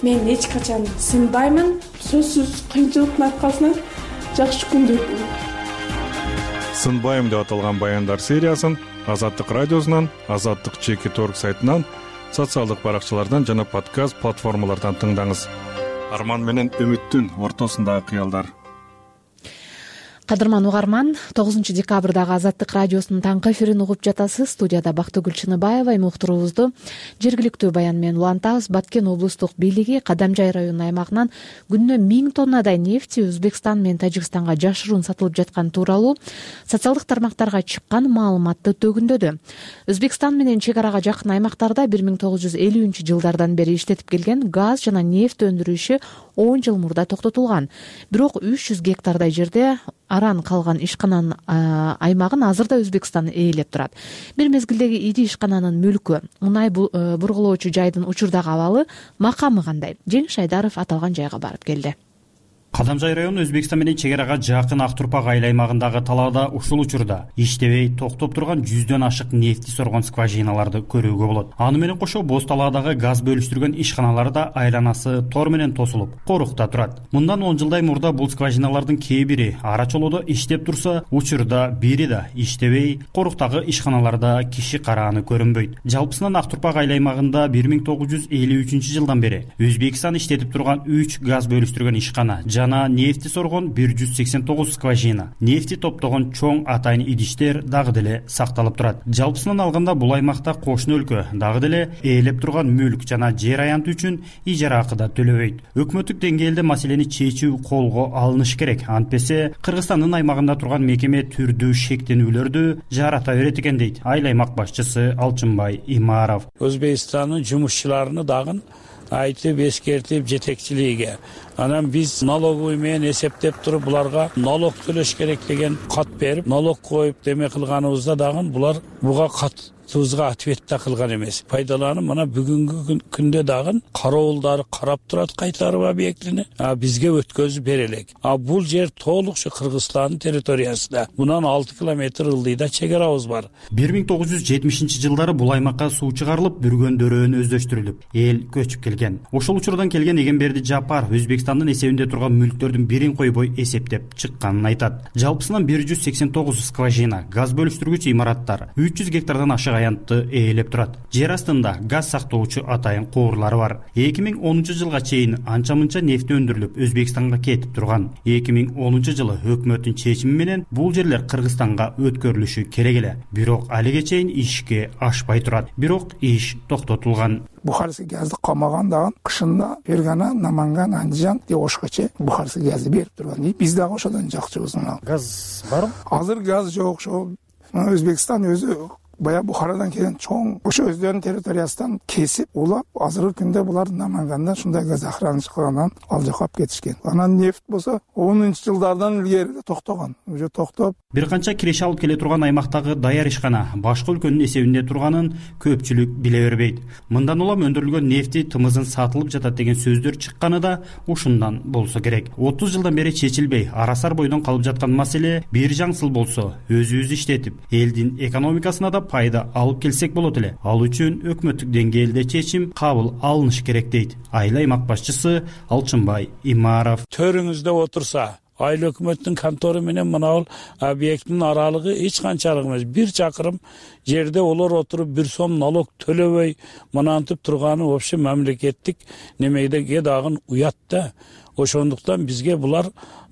Мен эч качан сынбаймын. Сөзсүз кыйынчылыктын аркасынан жакшы күндөр болот. Сынбайм деп аталган баяндар сериясын Азаттык радиосунан, Азаттык ЧК.орг сайтынан, социалдык баракчалардан жана подкаст платформалардан тыңдаңыз. Арман менен үмүттүн ортосундагы кыялдар. Кадырман угарман, 9 декабрдагы Азаттык радиосунун таңкы эфирин угуп жатасыз. Студияда Бактыгүл Чыныбаева. Уктуруубузду жергиликтүү баян менен улантабыз. Баткен облустук бийлиги Кадамжай районунун аймагынан күнүнө 1000 тоннадай нефти Өзбекстан менен Тажикстанга жашыруун сатылып жаткан тууралуу социалдык тармактарга чыккан маалыматты төгүндөдү. Өзбекстан менен чек арага жакын аймактарда 1950-жылдардан бери иштетип келген газ жана нефть өндүрүшү 10 жыл мурда токтотулган. Бирок 300 гектардай жерде аран калган ишкананын аймагын азырда Өзбекстан ээлеп турат. Бир мезгилдеги ири ишкананын мүлкү, мунай бургулоочу жайдын учурдагы абалы, макамы кандай? Жеңиш Айдаров аталган жайга барып келди. Кадамжай району Өзбекстан менен чек арага жакын Актурпак айыл аймагындагы талаада ушул учурда иштебей токтоп турган 100дөн ашык нефти соргон скважиналарды көрүүгө болот. Аны менен кошо боз талаадагы газ бөлүштүргөн ишканалар да айланасы тор менен тосулуп, корукта турат. Мындан 10 жылдай мурда бул скважиналардын кээ бири ара чолоодо иштеп турса, учурда бири да иштебей, коруктагы ишканаларда киши карааны көрүнбөйт. Жалпысынан Актурпак айыл аймагында 1953-жылдан бери Өзбекстан иштетип турган 3 газ бөлүштүргөн ишкана жана нефти соргон 189 скважина, нефти топтогон чоң атайын идиштер дагы деле сакталып турат. Жалпысынан алганда бул аймакта кошуна өлкө дагы деле ээлеп турган мүлк жана жер аянты үчүн ижара акы да төлөбөйт. Өкмөттүк деңгээлде маселени чечүү колго алыныш керек. Антпесе Кыргызстандын аймагында турган мекеме түрдүү шектенүүлөрдү жарата берет экен дейт айыл аймак башчысы Алчынбай Имаров. Өзбекстандын жумушчуларыны дагы айтып эскертип жетекчилиgiге анан биз налоговый менен эсептеп туруп буларга налог төлөш керек деген кат берип, налог коюп деме кылганыбызда дагы булар буга катыбызга ответ да кылган эмес. Пайдаланып мына бүгүнкү күндө дагы кароолдары карап турат кайтарып объектини, бизге өткөзүп бере элек. Бул жер толук ушу Кыргызстандын территориясында. Мунан 6 километр ылдыйда чек арабыз бар. 1970-жылдары бул аймакка суу чыгарылып, бүргөн дөөрөнү өздөштүрүлүп, эл көчүп келген. Ошол учурдан келген Эгемберди Жапар Өзбекстандын эсебинде турган мүлктөрдүн бирин койбой эсептеп чыкканын айтат. Жалпысынан 189 скважина, газ бөлүштүргүч имараттар, 300 гектардан ашык аянтты ээлеп турат. Жер астында газ сактоочу атайын куурлары бар. 2010-жылга чейин анча-мынча нефти өндүрүлүп Өзбекстанга кетип турган. 2010-жылы өкмөттүн чечими менен бул жерлер Кыргызстанга өткөрүлүшү керек эле. Бирок алиге чейин ишке ашпай турат. Бирок иш токтотулган. Бухарский газды камаган дагы кышында Фергана, Наманган, Андижан деп Ошкаче Бухарский газды берип турган. Биз дагы ошодон жакчыбыз. Газ барбы? Азыр газ жок. Ошо Өзбекстан өзү бая Бухарадан келген чоң ошо өздөрүнүн территориясынан кесип, улап, азыркы күндө булар Намангандан шундай газ охранычы кылгандан ал жака алып кетишкен. Анан нефть болсо 10-жылдардан илгери токтогон. Уже токтоп. Бир канча киреше алып келе турган аймактагы даяр ишкана башка өлкөнүн эсебинде турганын көпчүлүк биле бербейт. Мындан улам өндүрүлгөн нефти тымызын сатылып жатат деген сөздөр чыкканы да ушундан болсо керек. 30 жылдан бери чечилбей, арасар бойдон калып жаткан маселе бир жаңсыл болсо, өзүбүз иштетип, элдин экономикасына да пайда алып келсек болот эле. Ал үчүн өкмөттүк деңгээлде чечим кабыл алыныш керек дейт айыл аймак башчысы Алчынбай Имаров. Төрүңүздө отурса, айыл өкмөттүн контору менен мына объекттин аралыгы эч канчалык эмес. 1 чакырым жерде олар отуруп 1 сом налог төлөбөй мынантип турганы вообще мамлекеттик немеге дагы уят да. Ошондуктан бизге булар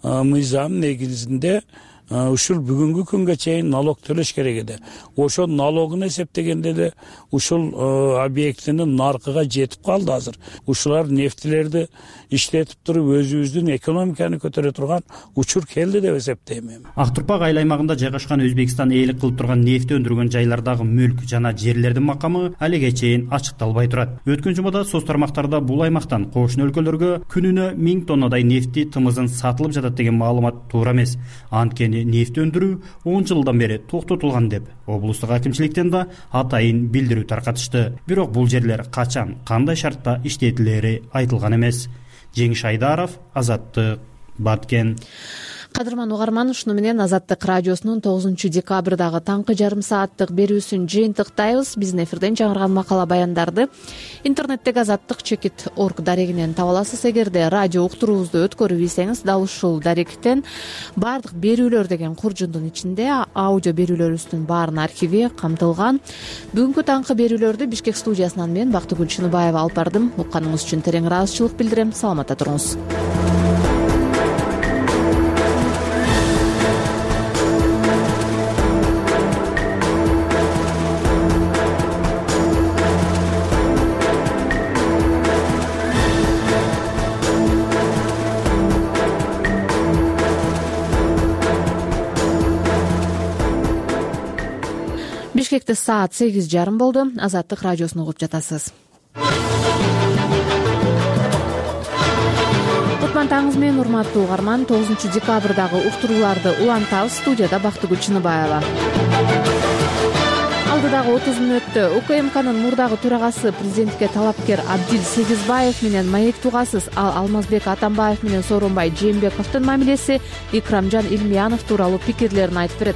мыйзам негизинде ушул бүгүнкү күнгө чейин налог төлөш керек эди. Ошол налогун эсептегенде эле ушул объектинин наркыга жетип калды азыр. Ушулар нефтилерди иштетип туруп өзүбүздүн экономиканы көтөрө турган учур келди деп эсептейм. Актурпак айыл аймагында жайгашкан Өзбекстан ээлик кылып турган нефти өндүргөн жайлардагы мүлк жана жерлердин макамы алиге чейин ачыкталбай турат. Өткөн жумада соц тармактарда бул аймактан кошуна өлкөлөргө күнүнө 1000 тоннадай нефти тымызын сатылып жатат деген маалымат туура эмес. Анткени эле нефть өндүрүү 10 жылдан бери токтотулган деп облустук акимчиликтен да атайын билдирүү таркатышты. Бирок бул жерлер качан, кандай шартта иштетилери айтылган эмес. Жеңиш Айдаров, Азаттык, Баткен. Кадырман угарман, ушуну менен Азаттык радиосунун 9-декабрдагы таңкы жарым сааттык берүүсүн жыйынтыктайбыз. Биздин эфирден жаңырган макала баяндарды интернеттеги azattik.org дарегинен таба аласыз. Эгерде радио уктуруубузду өткөрүп ийсеңиз, дал ушул даректен баардык берүүлөр деген куржундун ичинде аудио берүүлөрүбүздүн баарынын архиви камтылган. Бүгүнкү таңкы берүүлөрдү Бишкек студиясынан мен Бактыгүл Чыныбаева алып бардым. Укканыңыз үчүн терең ыраазычылык билдирем. Саламатта туруңуз. Бишкекте саат 8:30 болду. Азаттык радиосун угуп жатасыз. Кутман таңыңыз менен, урматтуу угарман. 9-декабрдагы уктурууларды улантабыз. Студияда Бактыгүл Чыныбаева. Алдыдагы 30 мүнөттө УКМКнын мурдагы төрагасы, президентке талапкер Абдил Сегизбаев менен маек тугасыз. Ал Алмазбек Атамбаев менен Сооронбай Жээнбековдун мамилеси, Икрамжан Илмиянов тууралуу пикирлерин айтып берет.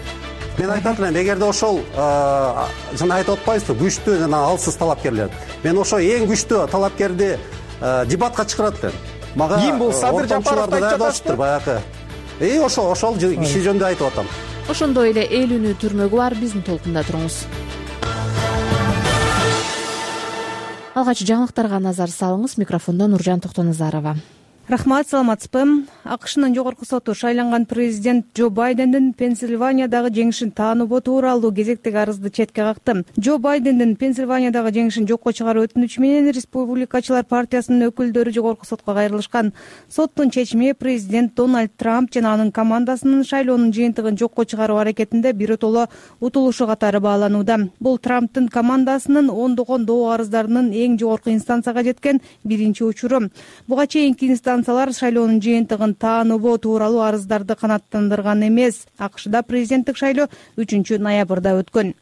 Мен айтат элем, эгерде ошол жана айтып атпайбызбы, күчтүү жана алсыз талапкерлер. Мен ошо эң күчтүү талапкерди дебатка чакырат элем. Мага ким бул Садыр Жапаровду айтып жатасызбы? Баягы. Ошол киши жөнүндө айтып атам. Ошондой эле эл үнү түрмөгү бар. Биздин толкунда туруңуз. Алгач жаңылыктарга назар салыңыз. Микрофондо Нуржан Токтоназарова. Рахмат, саламатсызбы. АКШнын жогорку соту шайланган президент Джо Байдендин Пенсильваниядагы жеңишин тааныбоо тууралуу кезектеги арызды четке какты. Джо Байдендин Пенсильваниядагы жеңишин жокко чыгаруу өтүнүчү менен Республикачылар партиясынын өкүлдөрү жогорку сотко кайрылышкан. Соттун чечими президент Дональд Трамп жана анын командасынын шайлоонун жыйынтыгын жокко чыгаруу аракетинде биротоло утулушу катары бааланууда. Бул Трамптын командасынын ондогон доо арыздарынын эң жогорку инстанцияга жеткен биринчи учуру. Буга чейинки инстанциялар шайлоонун жыйынтыгын тааныбоо тууралуу арыздарды канааттандырган эмес. АКШда президенттик шайлоо 3-ноябрда өткөн.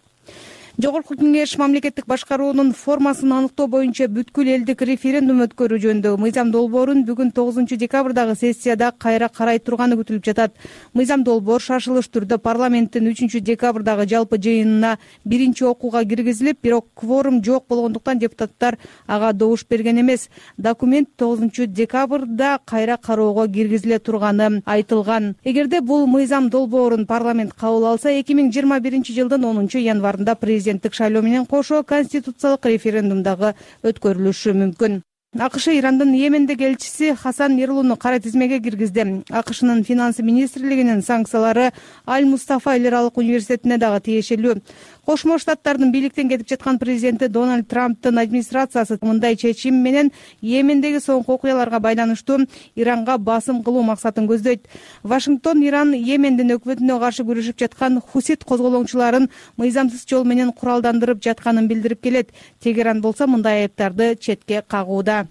Жогорку кеңеш мамлекеттик башкаруунун формасын аныктоо боюнча бүткүл элдик референдум өткөрүү жөнүндөгү мыйзам долбоорун бүгүн 9-декабрдагы сессияда кайра карай турганы күтүлүп жатат. Мыйзам долбоор шашылыш түрдө парламенттин 3-декабрдагы жалпы жыйынына биринчи окууга киргизилип, бирок кворум жок болгондуктан депутаттар ага добуш берген эмес. Документ 9-декабрда кайра кароого киргизиле турганы айтылган. Эгерде бул мыйзам долбоорун парламент кабыл алса, 2021-жылдын 10-январында президенттик шайлоо менен кошо конституциялык референдум дагы өткөрүлүшү мүмкүн. АКШ Ирандын Йемендеги элчиси Хасан Ерлууну кара тизмеге киргизди. АКШнын финансы министрлигинин санкциялары Аль-Мустафа эл аралык университетине дагы тиешелүү. Кошмо Штаттардын бийликтен кетип жаткан президенти Дональд Трамптын администрациясы мындай чечим менен Йемендеги соңку окуяларга байланыштуу Иранга басым кылуу максатын көздөйт. Вашингтон Иран Йемендин өкмөтүнө каршы күрөшүп жаткан хусит козголоңчуларын мыйзамсыз жол менен куралдандырып жатканын билдирип келет. Тегеран болсо мындай айыптарды четке кагууда.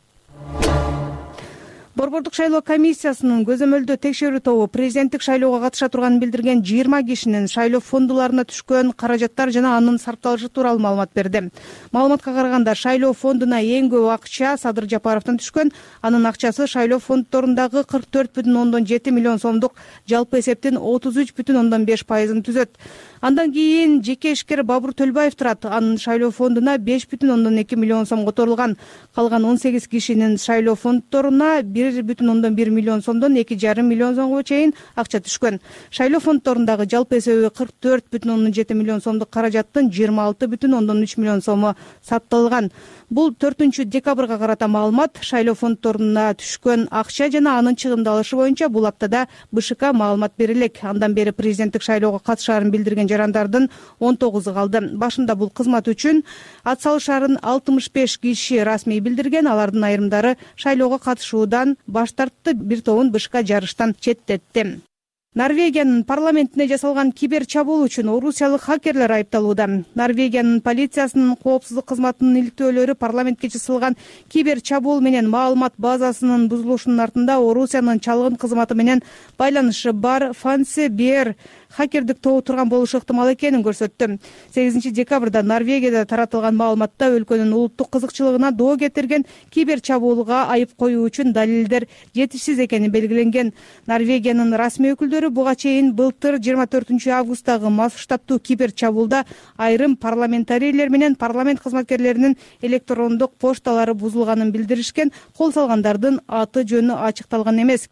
Борбордук шайлоо комиссиясынын көзөмөлдөө текшерүү тобу президенттик шайлоого катыша турганын билдирген 20 кишинин шайлоо фондуларына түшкөн каражаттар жана анын сарпталышы тууралуу маалымат берди. Маалыматка караганда шайлоо фондуна эң көп акча Садыр Жапаровдон түшкөн. Анын акчасы шайлоо фонддорундагы 44,7 миллион сомдук жалпы эсептин 33,5%-ын түзөт. Андан кийин жеке ишкер Бабур Төлбаев турат. Анын шайлоо фондуна 5,2 миллион сом которулган. Калган 18 кишинин шайлоо фонддоруна 1,1 миллион сомдон 2,5 миллион сомго чейин акча түшкөн. Шайлоо фонддорундагы жалпы эсеби 44,7 миллион сомдук каражаттын 26,3 миллион сому сатталган. Бул 4-декабрга карата маалымат. Шайлоо фонддоруна түшкөн акча жана анын чыгымдалышы боюнча бул аптада БШК маалымат берилек. Андан бери президенттик шайлоого катышаарын билдирген жарандардын 19 калды. Башында бул кызмат үчүн ат салышаарын 65 киши расмий билдирген. Алардын айрымдары шайлоого катышуудан баш тартты, бир тобун БШК жарыштан четтетти. Норвегиянын парламентине жасалган кибер чабуул үчүн орусиялык хакерлер айыпталууда. Норвегиянын полициясынын коопсуздук кызматынын иликтөөлөрү парламентке жасалган кибер чабуул менен маалымат базасынын бузулушунун артында Орусиянын чалгын кызматы менен байланышы бар Фансе Бер хакердик тобу турган болушу ыктымал экенин көрсөттү. 8 декабрда Норвегияда таратылган маалыматта өлкөнүн улуттук кызыкчылыгына доо кетирген кибер чабуулга айып коюу үчүн далилдер жетишсиз экени белгиленген. Норвегиянын расмий өкүлдөрү буга чейин былтыр 24 августтагы масштабтуу кибер чабуулда айрым парламентарийлер менен парламент кызматкерлеринин электрондук пошталары бузулганын билдиришкен. Кол салгандардын аты жөнү ачыкталган эмес.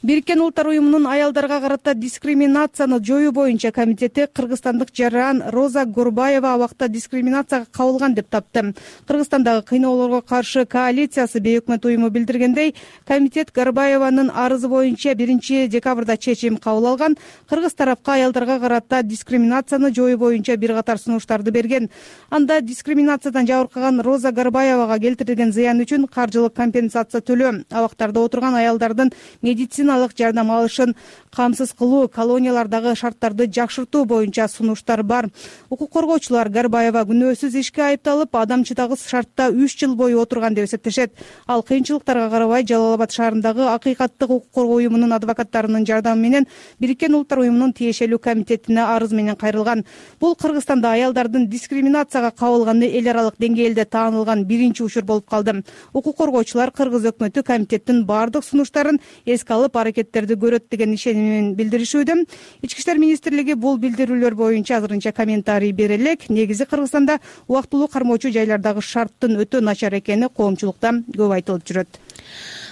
Бириккен Улуттар уюмунун аялдарга карата дискриминацияны жоюу боюнча комитети кыргызстандык жаран Роза Горбаева абакта дискриминацияга кабылган деп тапты. Кыргызстандагы кыйноолорго каршы коалициясы бейөкмөт уюму билдиргендей, комитет Горбаеванын арызы боюнча 1 декабрда чечим кабыл алган. Кыргыз тарапка аялдарга карата дискриминацияны жоюу боюнча бир катар сунуштарды берген. Анда дискриминациядан жабыркаган Роза Горбаевага келтирилген зыян үчүн каржылык компенсация төлөө, абактарда отурган аялдардын медицина жардам алышын камсыз кылуу, колониялардагы шарттарды жакшыртуу боюнча сунуштар бар. Укук коргоочулар Горбаева күнөөсүз ишке айыпталып, адамчытагыс шартта 3 жыл бою отурган деп эсептешет. Ал кыйынчылыктарга карабай Жалал Абад шаарындагы Акыйкаттык укук коргоо уюмунун адвокаттарынын жардамы менен Бириккен Улуттар уюмунун тиешелүү комитетине арыз менен кайрылган. Бул Кыргызстанда аялдардын дискриминацияга кабылганы эл аралык деңгээлде таанылган биринчи учур болуп калды. Укук коргоочулар Кыргыз өкмөтү комитеттин бардык сунуштарын эске алып аракеттерди көрөт деген ишенимин билдиришүүдө. Ички иштер министрлиги бул билдирүүлөр боюнча азырынча комментарий бере элек. Негизи Кыргызстанда убактылуу кармоочу жайлардагы шарттын өтө начар экени коомчулукта көп айтылып жүрөт.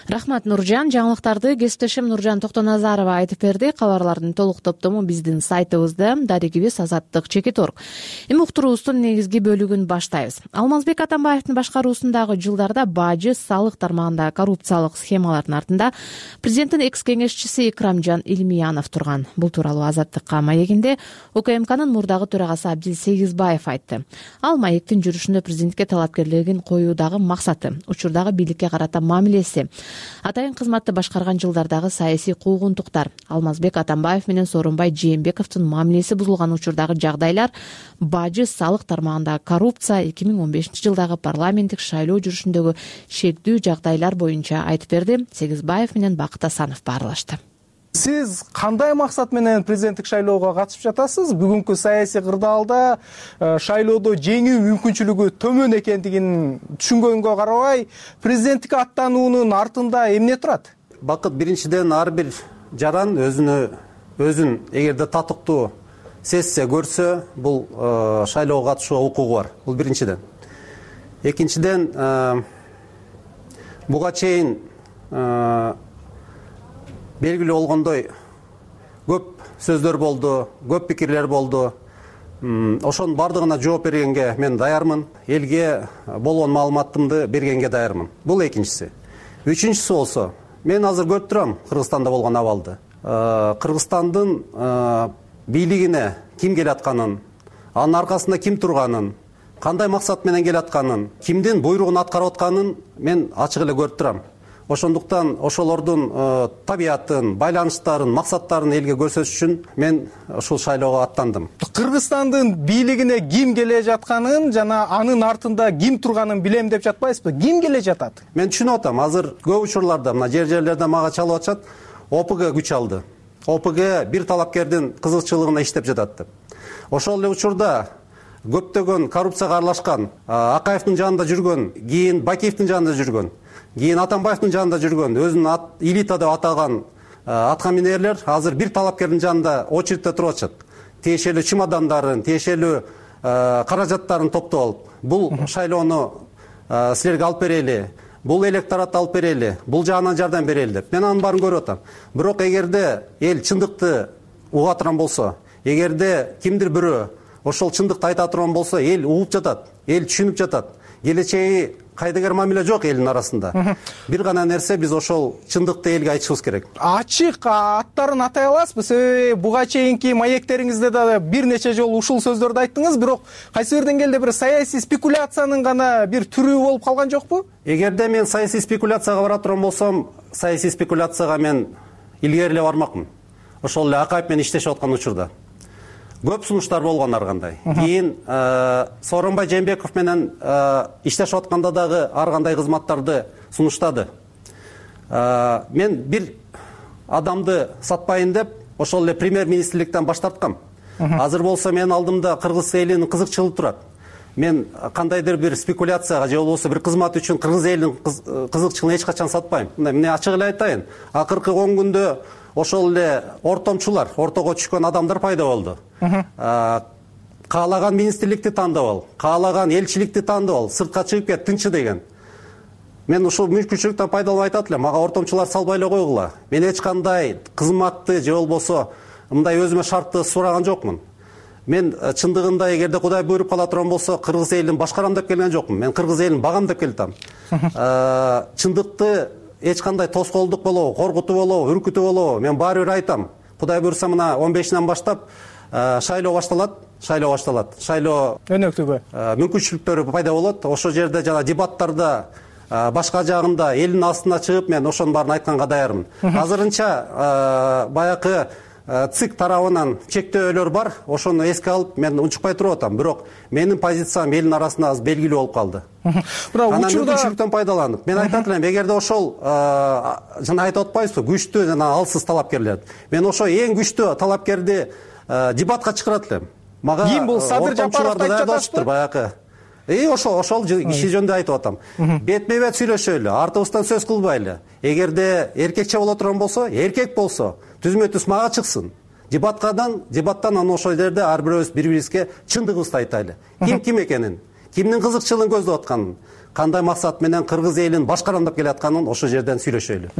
Рахмат, Нуржан. Жаңылыктарды кесиптешим Нуржан Токтоназарова айтып берди. Кабарлардын толук топтому биздин сайтыбызда, дарегибиз azattik.org. Эми уктуруубуздун негизги бөлүгүн баштайбыз. Алмазбек Атамбаевдин башкаруусундагы жылдарда бажы салык тармагында коррупциялык схемалардын артында президенттин экс-кеңешчиси Икрамжан Илмиянов турган. Бул тууралуу Азаттыкка маегинде УКМКнын мурдагы төрагасы Абдил Сегизбаев айтты. Ал маектин жүрүшүндө президентке талапкерлигин коюудагы максаты, учурдагы бийликке карата мамилеси, атайын кызматты башкарган жылдардагы саясий куугунтуктар, Алмазбек Атамбаев менен Сооронбай Жээнбековдун мамилеси бузулган учурдагы жагдайлар, бажы салык тармагындагы коррупция, 2015 жылдагы парламенттик шайлоо жүрүшүндөгү шектүү жагдайлар боюнча айтып берди. Сегизбаев менен Бакыт Асанов баарлашты. Сиз кандай максат менен президенттик шайлоого катышып жатасыз? Бүгүнкү саясий кырдаалда шайлоодо жеңүү мүмкүнчүлүгү төмөн экендигин түшүнгөнгө карабай, президенттикке аттануунун артында эмне турат? Бакыт, биринчиден ар бир жаран өзүн эгерде татыктуу сезсе, көрсө, бул шайлоого катышууга укугу бар. Бул биринчиден. Экинчиден, буга чейин белгилүү болгондой көп сөздөр болду, көп пикирлер болду. Ошонун бардыгына жооп бергенге мен даярмын. Элге болгон маалыматымды бергенге даярмын. Бул экинчиси. Үчүнчүсү болсо, мен азыр көрүп турам Кыргызстанда болгон абалды. Кыргызстандын бийлигине ким келатканын, анын аркасында ким турганын, кандай максат менен келатканын, кимдин буйругун аткарып атканын мен ачык эле көрүп турам. Ошондуктан ошолордун табиятын, байланыштарын, максаттарын элге көрсөтүш үчүн мен ушул шайлоого аттандым. Кыргызстандын бийлигине ким келе жатканын жана анын артында ким турганын билем деп жатпайсызбы? Ким келе жатат? Мен түшүнүп атам. Азыр көп учурларда мына жерлерде мага чалып атышат, ОПГ күч алды. ОПГ бир талапкердин кызыкчылыгына иштеп жатат деп. Ошол эле учурда көптөгөн коррупцияга аралашкан, Акаевдин жанында жүргөн, кийин Бакиевдин жанында жүргөн, кийин Атамбаевдин жанында жүргөн, өзүн элита деп атаган аткаминерлер азыр бир талапкердин жанында очередте туруп атышат. Тиешелүү чемодандарын, тиешелүү каражаттарын топтоп алып, бул шайлоону силерге алып берели, бул электоратты алып берели, бул жагынан жардам берели деп. Мен анын баарын көрүп атам. Бирок эгерде эл чындыкты уга турган болсо, эгерде кимдир бирөө ошол чындыкты айта турган болсо, эл угуп жатат, эл түшүнүп жатат. Келечеги кайдыгер мамиле жок элдин арасында. Бир гана нерсе, биз ошол чындыкты элге айтышыбыз керек. Ачык аттарын атай аласызбы? Себеби буга чейинки маектериңизде да бир нече жолу ушул сөздөрдү айттыңыз, бирок кайсы бир деңгээлде бир саясий спекуляциянын гана бир түрү болуп калган жокпу? Эгерде мен саясий спекуляцияга бара турган болсом, саясий спекуляцияга мен илгери эле бармакмын. Ошол эле Акаев менен иштешип аткан учурда көп сунуштар болгон ар кандай. Кийин Сооронбай Жээнбеков менен иштешип атканда дагы ар кандай кызматтарды сунуштады. Мен бир адамды сатпайын деп ошол эле премьер министрликтен баш тарткам. Азыр болсо менин алдымда кыргыз элинин кызыкчылыгы турат. Мен кандайдыр бир спекуляцияга же болбосо бир кызмат үчүн кыргыз элинин кызыкчылыгын эч качан сатпайм. Мына ачык эле айтайын. Акыркы 10 күндө ошол эле ортомчулар, ортого түшкөн адамдар пайда болду. Каалаган министрликти тандап ал, каалаган элчиликти тандап ал, сыртка чыгып кет, тынчы деген. Мен ушул мүмкүнчүлүктөн пайдаланып айтат элем, мага ортомчулар салбай эле койгула. Мен эч кандай кызматты же болбосо мындай өзүмө шартты сураган жокмун. Мен чындыгында эгерде Кудай буйруп кала турган болсо кыргыз элин башкарам деп келген жокмун. Мен кыргыз элин багам деп келдим. Чындыкты эч кандай тоскоолдук болобу, коркутуу болобу, үркүтүү болобу, мен баары бир айтам. Кудай буйруса мына 15-нен баштап шайлоо башталат. Шайлоо өнөктүгү мүмкүнчүлүктөрү пайда болот. Ошол жерде жана дебаттарда башка жагында элдин астына чыгып мен ошонун баарын айтканга даярмын. Азырынча баякы ЦИК тарабынан чектөөлөр бар. Ошону эске алып мен унчукпай туруп атам. Бирок менин позициям элдин арасында аз белгилүү болуп калды. Бирок учурда мүмкүнчүлүктөн пайдаланып мен айтат элем, эгерде ошол жана айтып атпайбызбы, күчтүү жана алсыз талапкерлер. Мен ошо эң күчтүү талапкерди дебатка чакырат элем. Мага ким бул Садыр Жапаровду айтып жатасызбы? Баякы ошол киши жөнүндө айтып атам. Бетме бет сүйлөшөлү, артыбыздан сөз кылбайлы. Эгерде эркекче боло турган болсо, эркек болсо, түзмө түз мага чыксын. Дебаттан анан ошол жерде ар бирөөбүз бири-бирибизге чындыгыбызды айтайлы. Ким экенин, кимдин кызыкчылыгын көздөп атканын, кандай максат менен кыргыз элин башкарам деп келатканын ошол жерден сүйлөшөлү.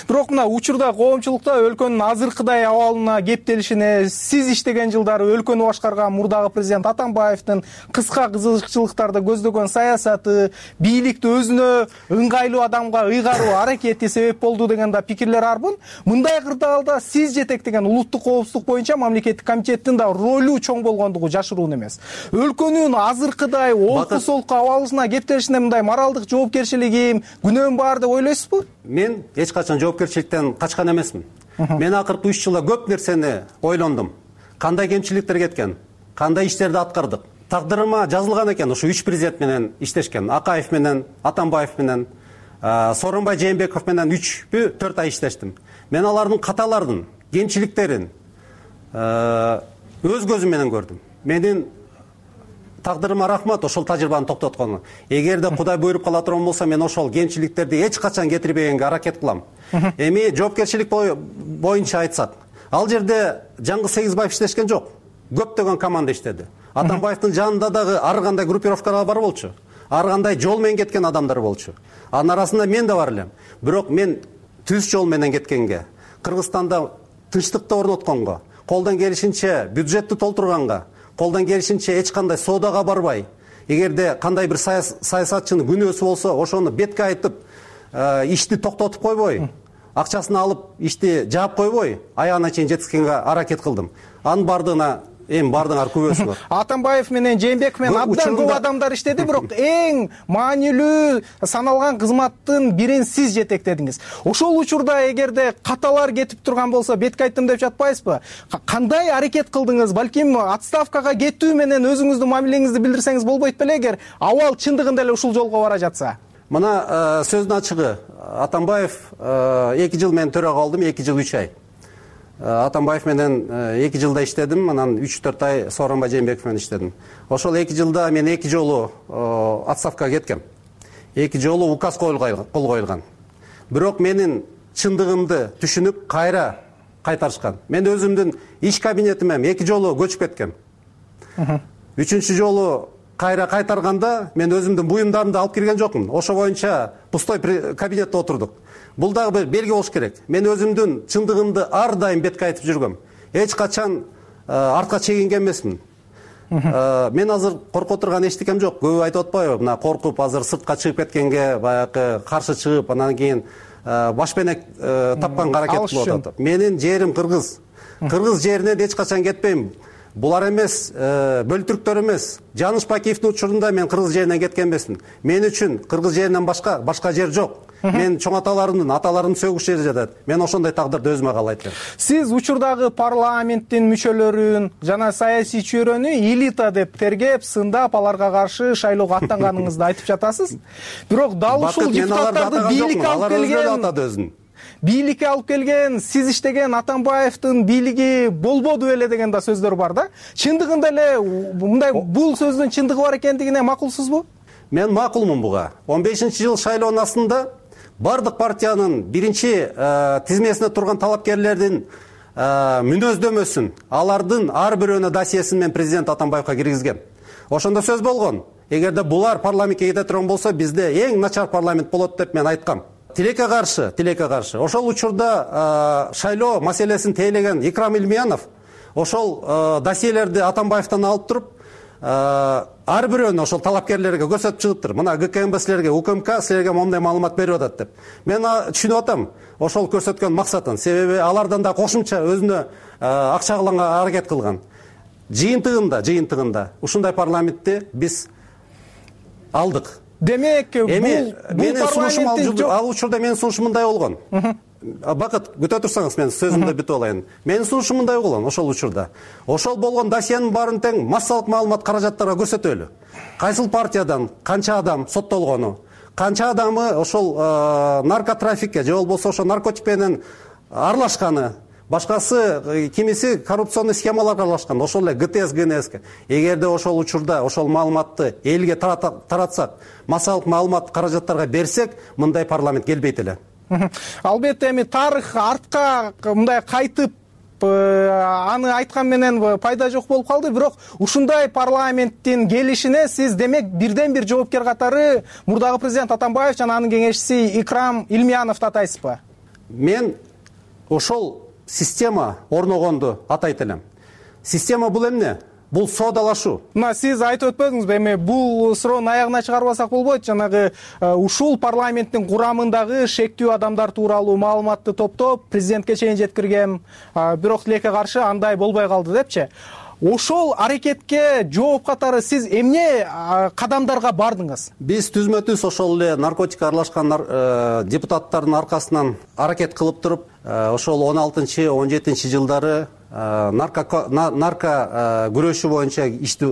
Бирок мына учурда коомчулукта өлкөнүн азыркыдай абалына кептелишине, сиз иштеген жылдары өлкөнү башкарган мурдагы президент Атамбаевдин кыска кызыкчылыктарды көздөгөн саясаты, бийликти өзүнө ыңгайлуу адамга ыйгаруу аракети себеп болду деген да пикирлер арбын. Мындай кырдаалда сиз жетектеген улуттук коопсуздук боюнча мамлекеттик комитеттин да ролу чоң болгондугу жашыруун эмес. Өлкөнүн азыркыдай олку солку абалына кептелишине мындай моралдык жоопкерчилигим, күнөөм бар деп ойлойсузбу? Мен эч качан жоопкерчиликтен качкан эмесмин. Мен акыркы 3 жылда көп нерсени ойлондум. Кандай кемчиликтер кеткен, кандай иштерди аткардык. Тагдырыма жазылган экен ушу 3 президент менен иштешкен. Акаев менен, Атамбаев менен, Сооронбай Жээнбеков менен 3-4 ай иштештим. Мен алардын каталарын, кемчиликтерин өз көзүм менен көрдүм. Менин тагдырыма рахмат ошол тажрыйбаны токтоткону. Эгерде Кудай буйруп кала турган болсо, мен ошол кемчиликтерди эч качан кетирбегенге аракет кылам. Эми жоопкерчилик боюнча айтсак, ал жерде Жаңгыз Сегизбаев иштешкен жок. Көптөгөн команда иштеди. Атамбаевдин жанында дагы ар кандай группировкалар бар болчу. Ар кандай жол менен кеткен адамдар болчу. Анын арасында мен да бар элем. Бирок мен түз жол менен кеткенге, Кыргызстанда тынчтыкты орнотконго, колдон келишинче бюджетти толтурганга, колдон келишинче эч кандай соодага барбай, эгерде кандай бир саясатчынын күнөөсү болсо, ошону бетке айтып, ишти токтотуп койбой, акчасын алып, ишти жаап койбой, аягына чейин жеткизгенге аракет кылдым. Анын бардыңар күбөсү бар. Атамбаев менен Жээнбеков менен абдан көп адамдар иштеди, бирок эң маанилүү саналган кызматтын бирин сиз жетектедиңиз. Ошол учурда эгерде каталар кетип турган болсо, бетке айттым деп жатпайсызбы? Кандай аракет кылдыңыз? Балким отставкага кетүү менен өзүңүздүн мамилеңизди билдирсеңиз болбойт беле, эгер абал чындыгында эле ушул жолго бара жатса? Мына сөздүн ачыгы, Атамбаев 2 жыл мен төрага калдым, 2 жыл 3 ай. Атамбаев менен 2 жылда иштедим, анан 3-4 ай Сооронбай Жээнбеков менен иштедим. Ошол 2 жылда мен 2 жолу отставкага кеткем. 2 жолу указ кол коюлган. Бирок менин чындыгымды түшүнүп кайра кайтарышкан. Мен өзүмдүн иш кабинетиме 2 жолу көчүп кеткем. 3-чү жолу кайра кайтарганда мен өзүмдүн буюмдарымды алып кирген жокмун. Ошо боюнча пустой кабинетте отурдук. Бул дагы бир белги болуш керек. Мен өзүмдүн чындыгымды ар дайым бетке айтып жүргөм. Эч качан артка чегинген эмесмин. Мен азыр коркуп турган эчтекем жок. Көбү айтып атпайбы, мына коркуп азыр сыртка чыгып кеткенге, баягы каршы чыгып, анан кийин башпенек тапканга аракет кылып атат. Менин жерим Кыргыз. Кыргыз жеринен эч качан кетпейм. Булар эмес, бөлтүрктөр эмес. Жаныш Бакиевдин учурунда мен Кыргыз жеринен кеткен эмесмин. Мен үчүн Кыргыз жеринен башка жер жок. Мен чоң аталарымдын сөгүш жери жатат. Мен ошондой тагдырды өзүмө каалайт элем. Сиз учурдагы парламенттин мүчөлөрүн жана саясий чөйрөнү элита деп тергеп, сындап, аларга каршы шайлоого аттанганыңызды айтып жатасыз. Бирок дал ушул депутаттарды бийликке алып келген бийликке алып келген, сиз иштеген Атамбаевдин бийлиги болбоду беле деген да сөздөр бар да. Чындыгында эле мындай бул сөздүн чындыгы бар экендигине макулсузбу? Мен макулмун буга. 15-жыл шайлоонун астында бардык партиянын биринчи тизмесине турган талапкерлердин мүнөздөмөсүн, алардын ар бирөөнүн досьесин мен президент Атамбаевга киргизгем. Ошондо сөз болгон. Эгерде булар парламентке кете турган болсо, бизде эң начар парламент болот деп мен айткам. Тилекке каршы. Ошол учурда шайлоо маселесин тейлеген Икрам Илмиянов ошол досьелерди Атамбаевден алып туруп, ар бирөөнү ошол талапкерлерге көрсөтүп чыгыптыр. Мына ГКМБ силерге, УКМК силерге моундай маалымат берип атат деп. Мен түшүнүп атам ошол көрсөткөн максатын. Себеби алардан да кошумча өзүнө акча кылганга аракет кылган. Жыйынтыгында ушундай парламентти биз алдык. Демек, менин сунушум ал учурда менин сунушум мындай болгон. Бакыт, күтө турсаңыз мен сөзүмдү бүтүп алайын. Менин сунушум мындай болгон ошол учурда. Ошол болгон досьенин баарын тең массалык маалымат каражаттарга көрсөтөлү. Кайсыл партиядан канча адам соттолгону, канча адамы ошол наркотрафикке же болбосо ошо наркотик менен аралашканы, башкасы кимиси коррупционный схемаларга аралашкан, ошол эле ГТС, ГНСке. Эгерде ошол учурда ошол маалыматты элге таратсак, массалык маалымат каражаттарга берсек, мындай парламент келбейт эле. Албетте эми тарых артка мындай кайтып аны айткан менен пайда жок болуп калды, бирок ушундай парламенттин келишине сиз демек бирден бир жоопкер катары мурдагы президент Атамбаев жана анын кеңешчиси Икрам Илмияновду атайсызбы? Мен ошол система орногонду атайт элем. Система бул эмне? Бул соодалашуу. Мына сиз айтып өтпөдүңүзбү, эми бул суроону аягына чыгарбасак болбойт. Жанагы ушул парламенттин курамындагы шектүү адамдар тууралуу маалыматты топтоп президентке чейин жеткиргем, бирок тилекке каршы андай болбой калды депчи. Ошол аракетке жооп катары сиз эмне кадамдарга бардыңыз? Биз түзмө-түз ошол эле наркотикке аралашкан депутаттардын аркасынан аракет кылып туруп, ошол 16-17 жылдары нарко күрөшү боюнча ишти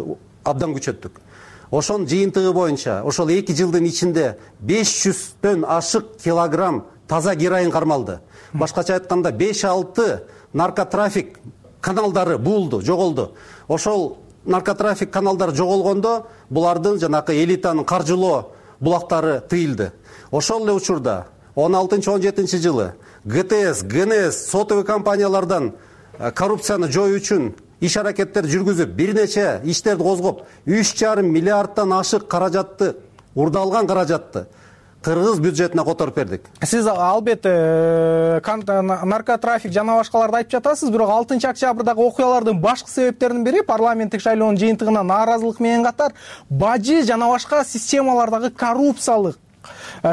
абдан күчөттүк. Ошонун жыйынтыгы боюнча ошол 2 жылдын ичинде 500төн ашык килограмм таза героин кармалды. Башкача айтканда 5-6 наркотрафик каналдары булду, жоголду. Ошол наркотрафик каналдары жоголгондо булардын жанакы элитанын каржылоо булактары тыйылды. Ошол эле учурда 16-17 жылы ГТС, ГНС сотовый компаниялардан коррупцияны жоюу үчүн иш аракеттер жүргүзүп, бир нече иштерди козгоп, 3,5 миллиардтан ашык каражатты, урдалган каражатты кыргыз бюджетине которуп бердик. Сиз албетте наркотрафик жана башкаларды айтып жатасыз, бирок 6-октябрдагы окуялардын башкы себептеринин бири парламенттик шайлоонун жыйынтыгына нааразылык менен катар бажы жана башка системалардагы коррупциялык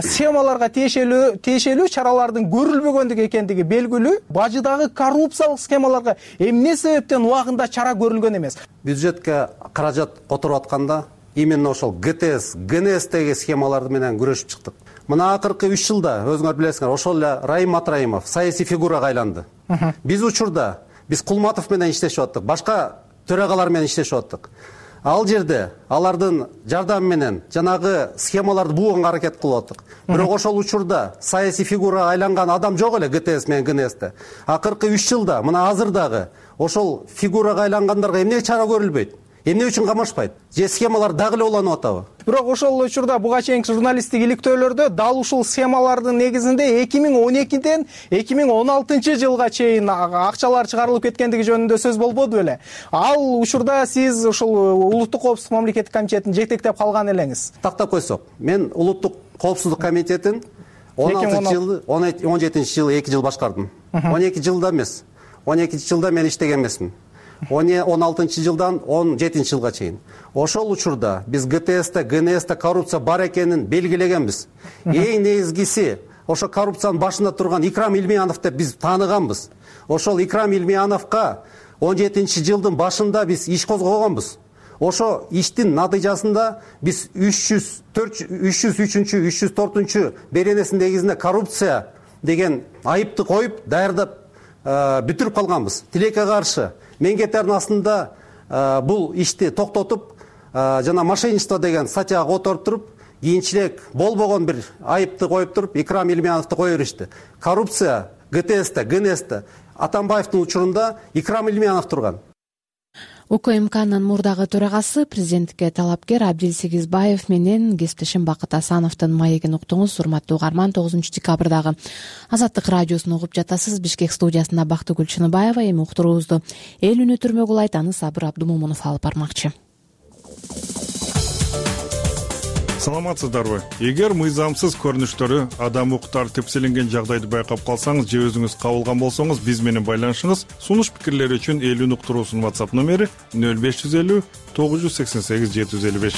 схемаларга тиешелүү чаралардын көрүлбөгөндүгү экендиги белгилүү. Бажыдагы коррупциялык схемаларга эмне себептен убагында чара көрүлгөн эмес? Бюджетке каражат которуп атканда именно ошол ГТС, ГНСтеги схемаларды менен күрөшүп чыктык. Мына акыркы 3 жылда өзүңөр билесиңер, ошол эле Раим Матраимов саясий фигурага айланды. Биз учурда Кулматов менен иштешип аттык, башка төрагалар менен иштешип аттык. Ал жерде алардын жардамы менен жанагы схемаларды бууганга аракет кылып аттык. Бирок ошол учурда саясий фигурага айланган адам жок эле ГТС менен ГНСте. Акыркы 3 жылда мына азырдагы ошол фигурага айлангандарга эмне чара көрүлбөйт? Эмне үчүн камашпайт? Же схемалар дагы эле уланып атабы? Бирок ошол учурда буга чейинки журналисттик иликтөөлөрдө дал ушул схемалардын негизинде 2012ден 2016 жылга чейин акчалар чыгарылып кеткендиги жөнүндө сөз болбоду беле? Ал учурда сиз ушул Улуттук коопсуздук мамлекеттик комитетин жетектеп калган элеңиз. Тактап койсок, мен Улуттук коопсуздук комитетин 17 жылы 2 жыл башкардым. 12 жылда эмес. 12 жылда мен иштеген эмесмин. 16 жылдан 17 жылга чейин. Ошол учурда биз ГТСте, ГНСте коррупция бар экенин белгилегенбиз. Эң негизгиси ошо коррупциянын башында турган Икрам Илмиянов деп биз тааныганбыз. Ошол Икрам Илмияновго 17 жылдын башында биз иш козгогонбуз. Ошо иштин натыйжасында биз 303-304 беренесинин негизинде коррупция деген айыпты коюп, даярдап бүтүрүп калганбыз. Тилекке каршы мен кетердин астында бул ишти токтотуп, жана мошенничество деген статьяга которуп туруп, кийинчерээк болбогон бир айыпты коюп туруп Икрам Илмановду кое беришти. Коррупция ГТСте, ГНСте Атамбаевдин учурунда Икрам Илманов турган. УКМКнын мурдагы төрагасы, президенттикке талапкер Абдил Сегизбаев менен кесиптешим Бакыт Асановдун маегин уктуңуз. Урматтуу угарман, 9 декабрдагы Азаттык радиосун угуп жатасыз. Бишкек студиясында Бактыгүл Чыныбаева. Эми уктуруубузду эл үнү түрмөгү улайт, аны Сабыр Абдумомунов алып бармакчы. Саламатсыздарбы? Эгер мыйзамсыз көрүнүштөрү, адам укуктары тепселенген жагдайды байкап калсаңыз же өзүңүз кабылган болсоңуз, биз менен байланышыңыз. Сунуш пикирлер үчүн эл үнү уктуруусунун WhatsApp номери 0550 988 755.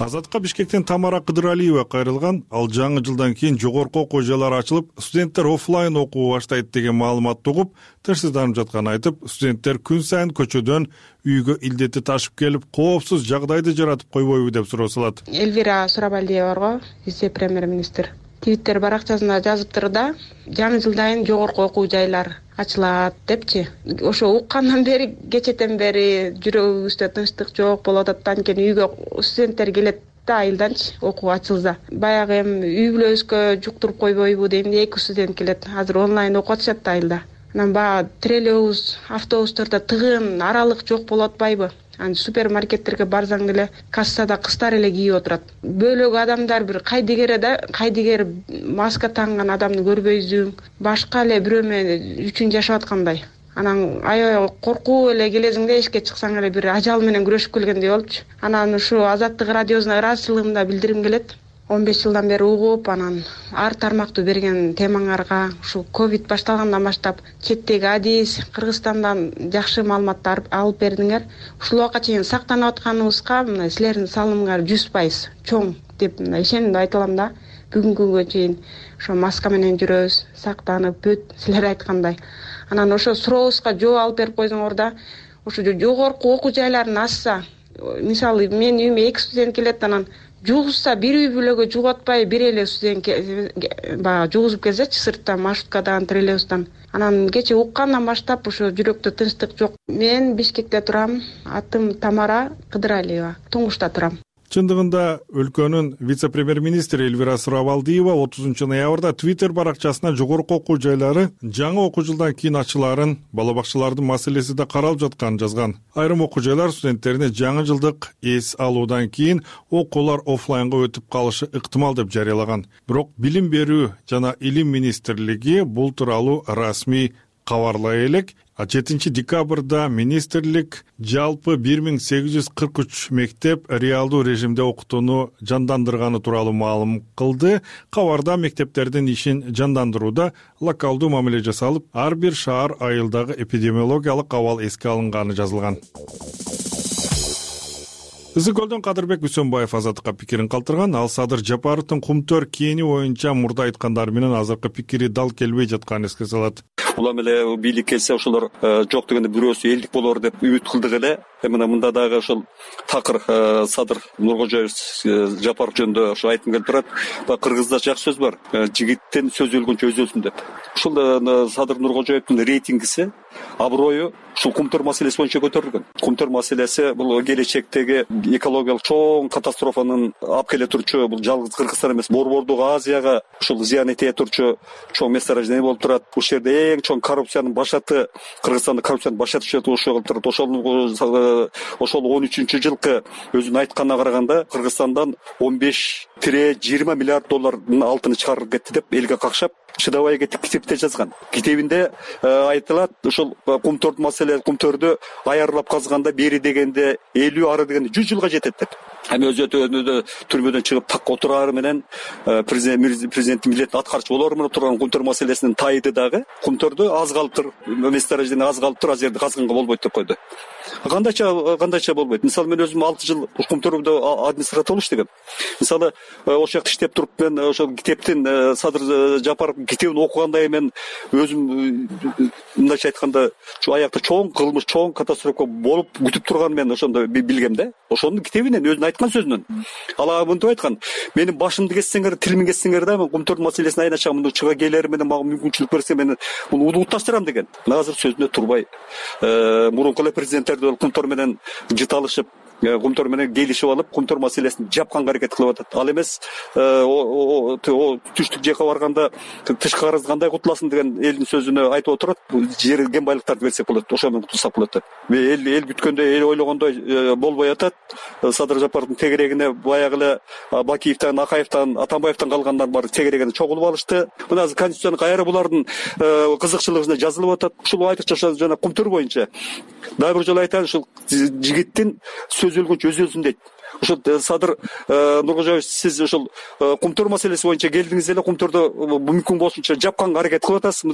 Азатка Бишкектен Тамара Кыдыралиева кайрылган. Ал жаңы жылдан кийин жогорку окуу жайлары ачылып, студенттер офлайн окуу баштайт деген маалыматты угуп, тынчсызданып жатканын айтып, студенттер күн сайын көчөдөн үйгө илдети ташып келип, коопсуз жагдайды жаратып койбойбу деп суроо салат. Эльвира Сурабалдиева барго, вице-премьер-министр Твиттер баракчасында жазыптыр да, жаңы жылдан жогорку окуу жайлар ачылат депчи. Ошо уккандан бери, кечетен бери жүрөгүбүздө тынчтык жок болуп атат. Анткени үйгө студенттер келет да айылданчы окуу ачылса. Баягы эми үй бүлөбүзгө жуктуруп койбойбу дейм де, 2 студент келет. Азыр онлайн окуп атышат да айылда. Анан баягы троллейбус, автобустарда тыгын, аралык жок болуп атпайбы? Супермаркеттерге барсаң эле кассада кыздар эле кийип отурат. Бөлөк адамдар бир кайдыгер маска танган адамды көрбөйсүң, башка эле бирөө менен үчүн жашап аткандай. Анан аябай коркуп эле келесиң да, эшикке чыксаң эле бир ажал менен күрөшүп келгендей болчу. Анан ушу Азаттык радиосуна ыраазычылыгымды да билдиргим келет. 15 жылдан бери угуп, анан ар тармактуу берген темаңарга ушу ковид башталгандан баштап четтеги адис, Кыргызстандан жакшы маалыматтар алып бердиңер. Ушул убакка чейин сактанып атканыбызга мына силердин салымыңар 100% чоң деп ишенимди айта алам да. Бүгүнкү күнгө чейин ошо маска менен жүрөбүз, сактанып, бүт силер айткандай. Анан ошо сурообузга жооп алып берип койдуңор да. Ошо жогорку окуу жайларын ачса, мисалы менин үйүмө 2 студент келет, анан жугузса бир үй бүлөгө жугуп атпай, бир эле студент баягы жугузуп келсечи, сырттан, маршруткадан, троллейбустан. Анан кече уккандан баштап ошо жүрөктө тынчтык жок. Мен Бишкекте турам. Атым Тамара Кыдыралиева. Туңгушта турам. Чындыгында өлкөнүн вице-премьер-министри Эльвира Сурабалдиева 30 ноябрда Твиттер баракчасына жогорку окуу жайлары жаңы окуу жылдан кийин ачылаарын, бала бакчалардын маселеси да каралып жатканын жазган. Айрым окуу жайлар студенттерине жаңы жылдык эс алуудан кийин окуулар офлайнга өтүп калышы ыктымал деп жарыялаган. Бирок Билим берүү жана Илим министрлиги бул тууралуу расмий кабарлай элек. 7 декабрда министрлик жалпы 1843 мектеп реалдуу режимде окутууну жандандырганы тууралуу маалым кылды. Кабарда мектептердин ишин жандандырууда локалдуу мамиле жасалып, ар бир шаар айылдагы эпидемиологиялык абал эске алынганы жазылган. Ысык көлдөн Кадырбек Үсөнбаев Азаттыкка пикирин калтырган. Ал Садыр Жапаровдун Кумтөр кээни боюнча мурда айткандары менен азыркы пикири дал келбей жатканын эске салат. Улам эле бийлик келсе ошолор жок дегенде бирөөсү элдик болор деп үмүт кылдык эле. Мына мында дагы ошол такыр Садыр Нуркожоев Жапаров жөнүндө ошо айткым келип турат. Кыргызда жакшы сөз бар. Жигиттин сөзү өлгөнчө өзү өлсүн деп. Ушул Садыр Нуркожоевдун рейтингиси, аброю ушул Кумтөр маселеси боюнча көтөрүлгөн. Кумтөр маселеси бул келечектеги экологиялык чоң катастрофанын алып келе турчу, бул жалгыз Кыргызстан эмес, Борбордук Азияга ушул зыян эте турчу чоң месторождение болуп турат. Бул жерде эң чоң коррупциянын башаты, Кыргызстанда коррупциянын башаты ошол болуп турат. Ошол 13-жылкы өзүнүн айтканына караганда Кыргызстандан 15-20 миллиард доллардын алтыны чыгарылып кетти деп элге какшап чыдабай кетип китепте жазган. Китебинде айтылат, ушул Кумтөрдүн маселе, Кумтөрдү аярлап казганда бери дегенде 50, ары дегенде 100 жылга жетет деп. Эми өзү түрмөдөн чыгып так отурары менен президенттин милдетин аткарчу болор менен турган Кумтөр маселесинин тайды дагы Кумтөрдү аз калыптыр, месторождение аз калыптыр, аз жерде казганга болбойт деп койду. Кандайча болбойт. Мисалы мен өзүм 6 жыл Кумтөрдө администратор болуп иштегем. Мисалы ошол жакта иштеп туруп мен ошол китептин Садыр Жапаров китебин окугандай мен өзүм мындайча айтканда аякта чоң кылмыш, чоң катастрофа болуп күтүп турганын мен ошондо билгем да. Ошонун китебинен өзүнүн айткан сөзүнөн. Ала мынтип айткан: "Менин башымды кессеңер, тилимди кессеңер да, мен Кумтөрдүн маселесин айначам, мындай чыга келер менен мага мүмкүнчүлүк берсе мен муну уташтырам" деген. Азыр сөзүнө турбай мурунку эле президенттерди Кумтөр менен жыт алышып, Кумтор менен келишип алып, Кумтор маселесин жапканга аракет кылып атат. Ал эмес түштүк жакка барганда тышкы карыз кандай кутуласың деген элдин сөзүнө айтып отурат. Жер кен байлыктарды берсек болот, ошо менен кутулсак болот деп. Эл күткөндөй, эл ойлогондой болбой атат. Садыр Жапаровдун тегерегине баягы эле Бакиевден, Акаевден, Атамбаевден калгандар бар тегерегине чогулуп алышты. Мына азыр конституцияны кайра булардын кызыкчылыгына жазылып атат. Ушул айтыкча жана Кумтөр боюнча дагы бир жолу айтайын, ушул жигиттин сөз өлгөнчө өзүлсүн дейт. Ошол Садыр Нуркожоевич, сиз ошол Кумтөр маселеси боюнча келдиңиз эле, Кумтөрдү мүмкүн болушунча жапканга аракет кылып атасыз.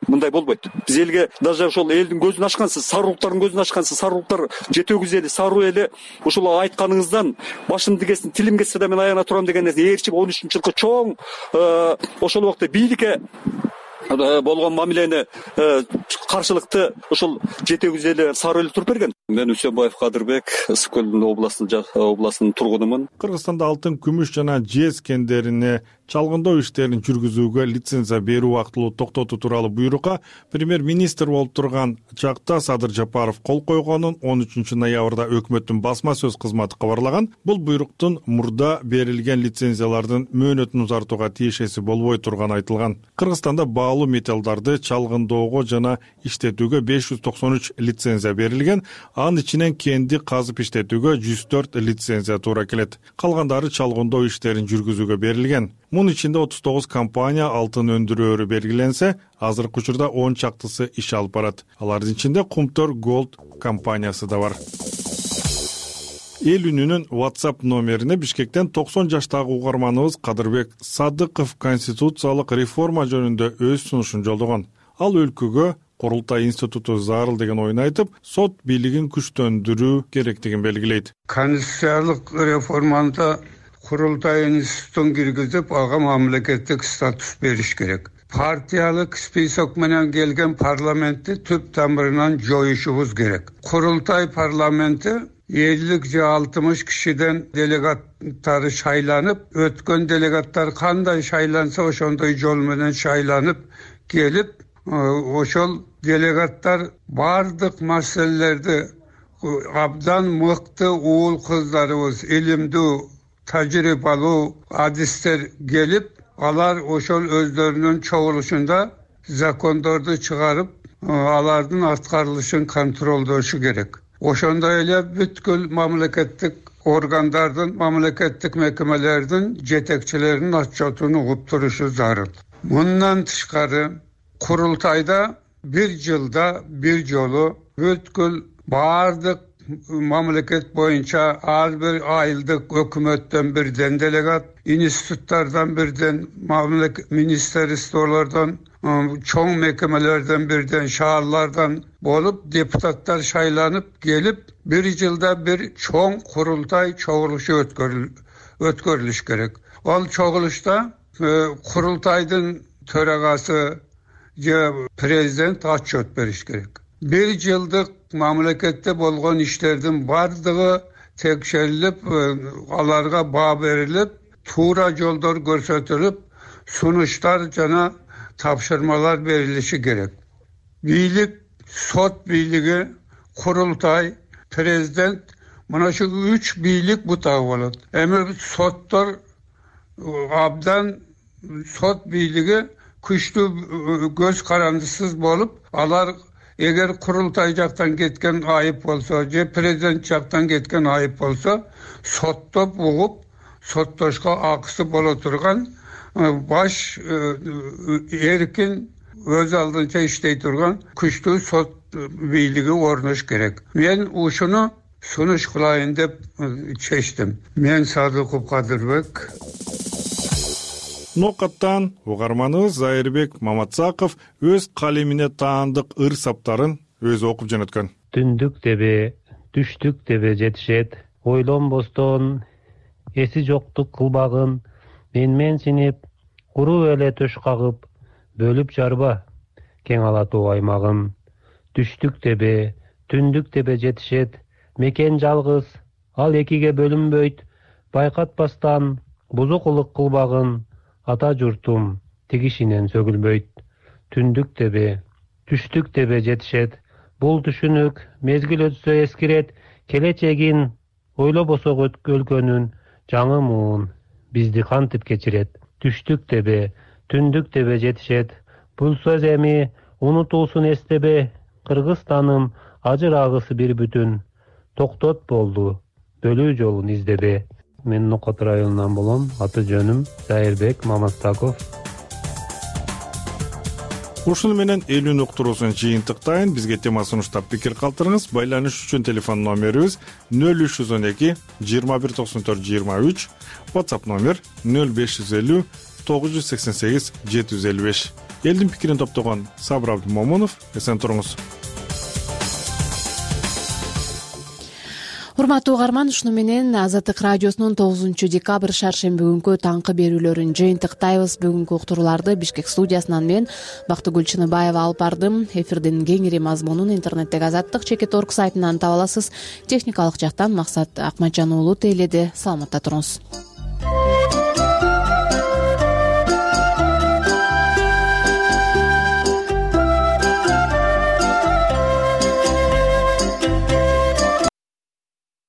Мындай болбойт. Биз элге даже ошол элдин көзүн ачкансыз, сарылуктардын көзүн ачкансыз, сарылуктар жетөгүз эли, саруу эли ушул айтканыңыздан башым тигесин, тилим кетсе да мен аяна турам деген ээрчип 13-жылкы чоң ошол убакта бийликке болгон мамилени каршылыкты ушул жетегүз эли, саруу эли туруп берген. Мен Үсөнбаев Кадырбек, Ысык көл областынын тургунумун. Кыргызстанда алтын, күмүш жана жез кендерине чалгындоо иштерин жүргүзүүгө лицензия берүү убактылуу токтотуу тууралуу буйрукка премьер-министр болуп турган чакта Садыр Жапаров кол койгонун 13 ноябрда өкмөттүн басма сөз кызматы кабарлаган. Бул буйруктун мурда берилген лицензиялардын мөөнөтүн узартууга тиешеси болбой турганы айтылган. Кыргызстанда баалуу металлдарды чалгындоого жана иштетүүгө 593 лицензия берилген. Анын ичинен кенди казып иштетүүгө 104 лицензия туура келет. Калгандары чалгындоо иштерин жүргүзүүгө берилген. Мунун ичинде 39 компания алтын өндүрөөрү белгиленсе, азыркы учурда 10 чактысы иш алып барат. Алардын ичинде Кумтөр Gold компаниясы да бар. Эл үнүнүн WhatsApp номерине Бишкектен 90 жаштагы угарманыбыз Кадырбек Садыков конституциялык реформа жөнүндө өз сунушун жолдогон. Ал өлкөгө Курултай институту зарыл деген оюн айтып, сот бийлигин күчтөндүрүү керектигин белгилейт. Конституциялык реформада Курултай институтун киргизип, ага мамлекеттик статус бериш керек. Партиялык список менен келген парламентти түп тамырынан жоюшубуз керек. Курултай парламенти 50 же 60 кишиден делегаттары шайланып, өткөн делегаттар кандай шайланса ошондой жол менен шайланып келип, ошол делегаттар бардык маселелерди абдан мыкты уул кыздарыбыз, илимдүү, тажрыйбалуу адистер келип, алар ошол өздөрүнүн чогулушунда закондорду чыгарып, алардын аткарылышын контролдошу керек. Ошондой эле бүткүл мамлекеттик органдардын, мамлекеттик мекемелердин жетекчилеринин отчетун угуп турушу зарыл. Мындан тышкары Курултайда бир жылда бир жолу бүткүл бардык мамлекет боюнча ар бир айылдык өкмөттөн бирден делегат, институттардан бирден, министрликтерден, чоң мекемелерден бирден, шаарлардан болуп депутаттар шайланып келип, бир жылда бир чоң курултай чогулушу өткөрүлүш керек. Ал чогулушта курултайдын төрагасы же президент отчет бериш керек. Бир жылдык мамлекетте болгон иштердин бардыгы текшерилип, аларга баа берилип, туура жолдор көрсөтүлүп, сунуштар жана тапшырмалар берилиши керек. Бийлик, сот бийлиги, курултай, президент, мына шу 3 бийлик бутагы болот. Эми соттор абдан, сот бийлиги күчтүү көз карандысыз болуп, алар эгер курултай жактан кеткен айып болсо, же президент жактан кеткен айып болсо, соттоп угуп, соттошко акысы боло турган, баш эркин өз алдынча иштей турган күчтүү сот бийлиги орнош керек. Мен ушуну сунуш кылайын деп чечтим. Мен Садыков Кадырбек. Нокаттан угарманыбыз Зайырбек Маматсаков өз калемине таандык ыр саптарын өзү окуп жөнөткөн. Түндүк тебе, түштүк тебе жетишет, ойлонбостон эси жоктук кылбагын, менсинип, куру эле төш кагып, бөлүп жарба кең алатуу аймагын. Түштүк тебе, түндүк тебе жетишет, мекен жалгыз, ал экиге бөлүнбөйт, байкатпастан бузукулук кылбагын, ата журтум тигишинен сөгүлбөйт. Түндүк тебе, түштүк тебе жетишет, бул түшүнүк мезгил өтсө эскирет, келечегин ойлобосок өлкөнүн жаңы муун бизди кантип кечирет. Түштүк дебе, түндүк дебе жетишет. Бул сөз эми унутуусун эстебе. Кыргызстаным ажырагысы бир бүтүн. Токтот болду, бөлүү жолун издебе. Мен Нокот районунан болом. Аты жөнүм Зайырбек Мамастаков. Ушуну менен элүүнү уктуруусун жыйынтыктайын. Бизге тема сунуштап пикир калтырыңыз. Байланыш үчүн телефон номерибиз 0312 2194 23, WhatsApp номер 0550 988 755. Элдин пикирин топтогон Сабыр Абдымомунов. Эсен туруңуз. Урматтуу угарман, ушуну менен Азаттык радиосунун 9-декабрь шаршемби күнкү таңкы берүүлөрүн жыйынтыктайбыз. Бүгүнкү уктурууларды Бишкек студиясынан мен Бактыгүл Чыныбаева алып бардым. Эфирдин кеңири мазмунун интернеттеги Азаттык.org сайтынан таба аласыз. Техникалык жактан Максат Акматжан уулу тейледи. Саламатта туруңуз.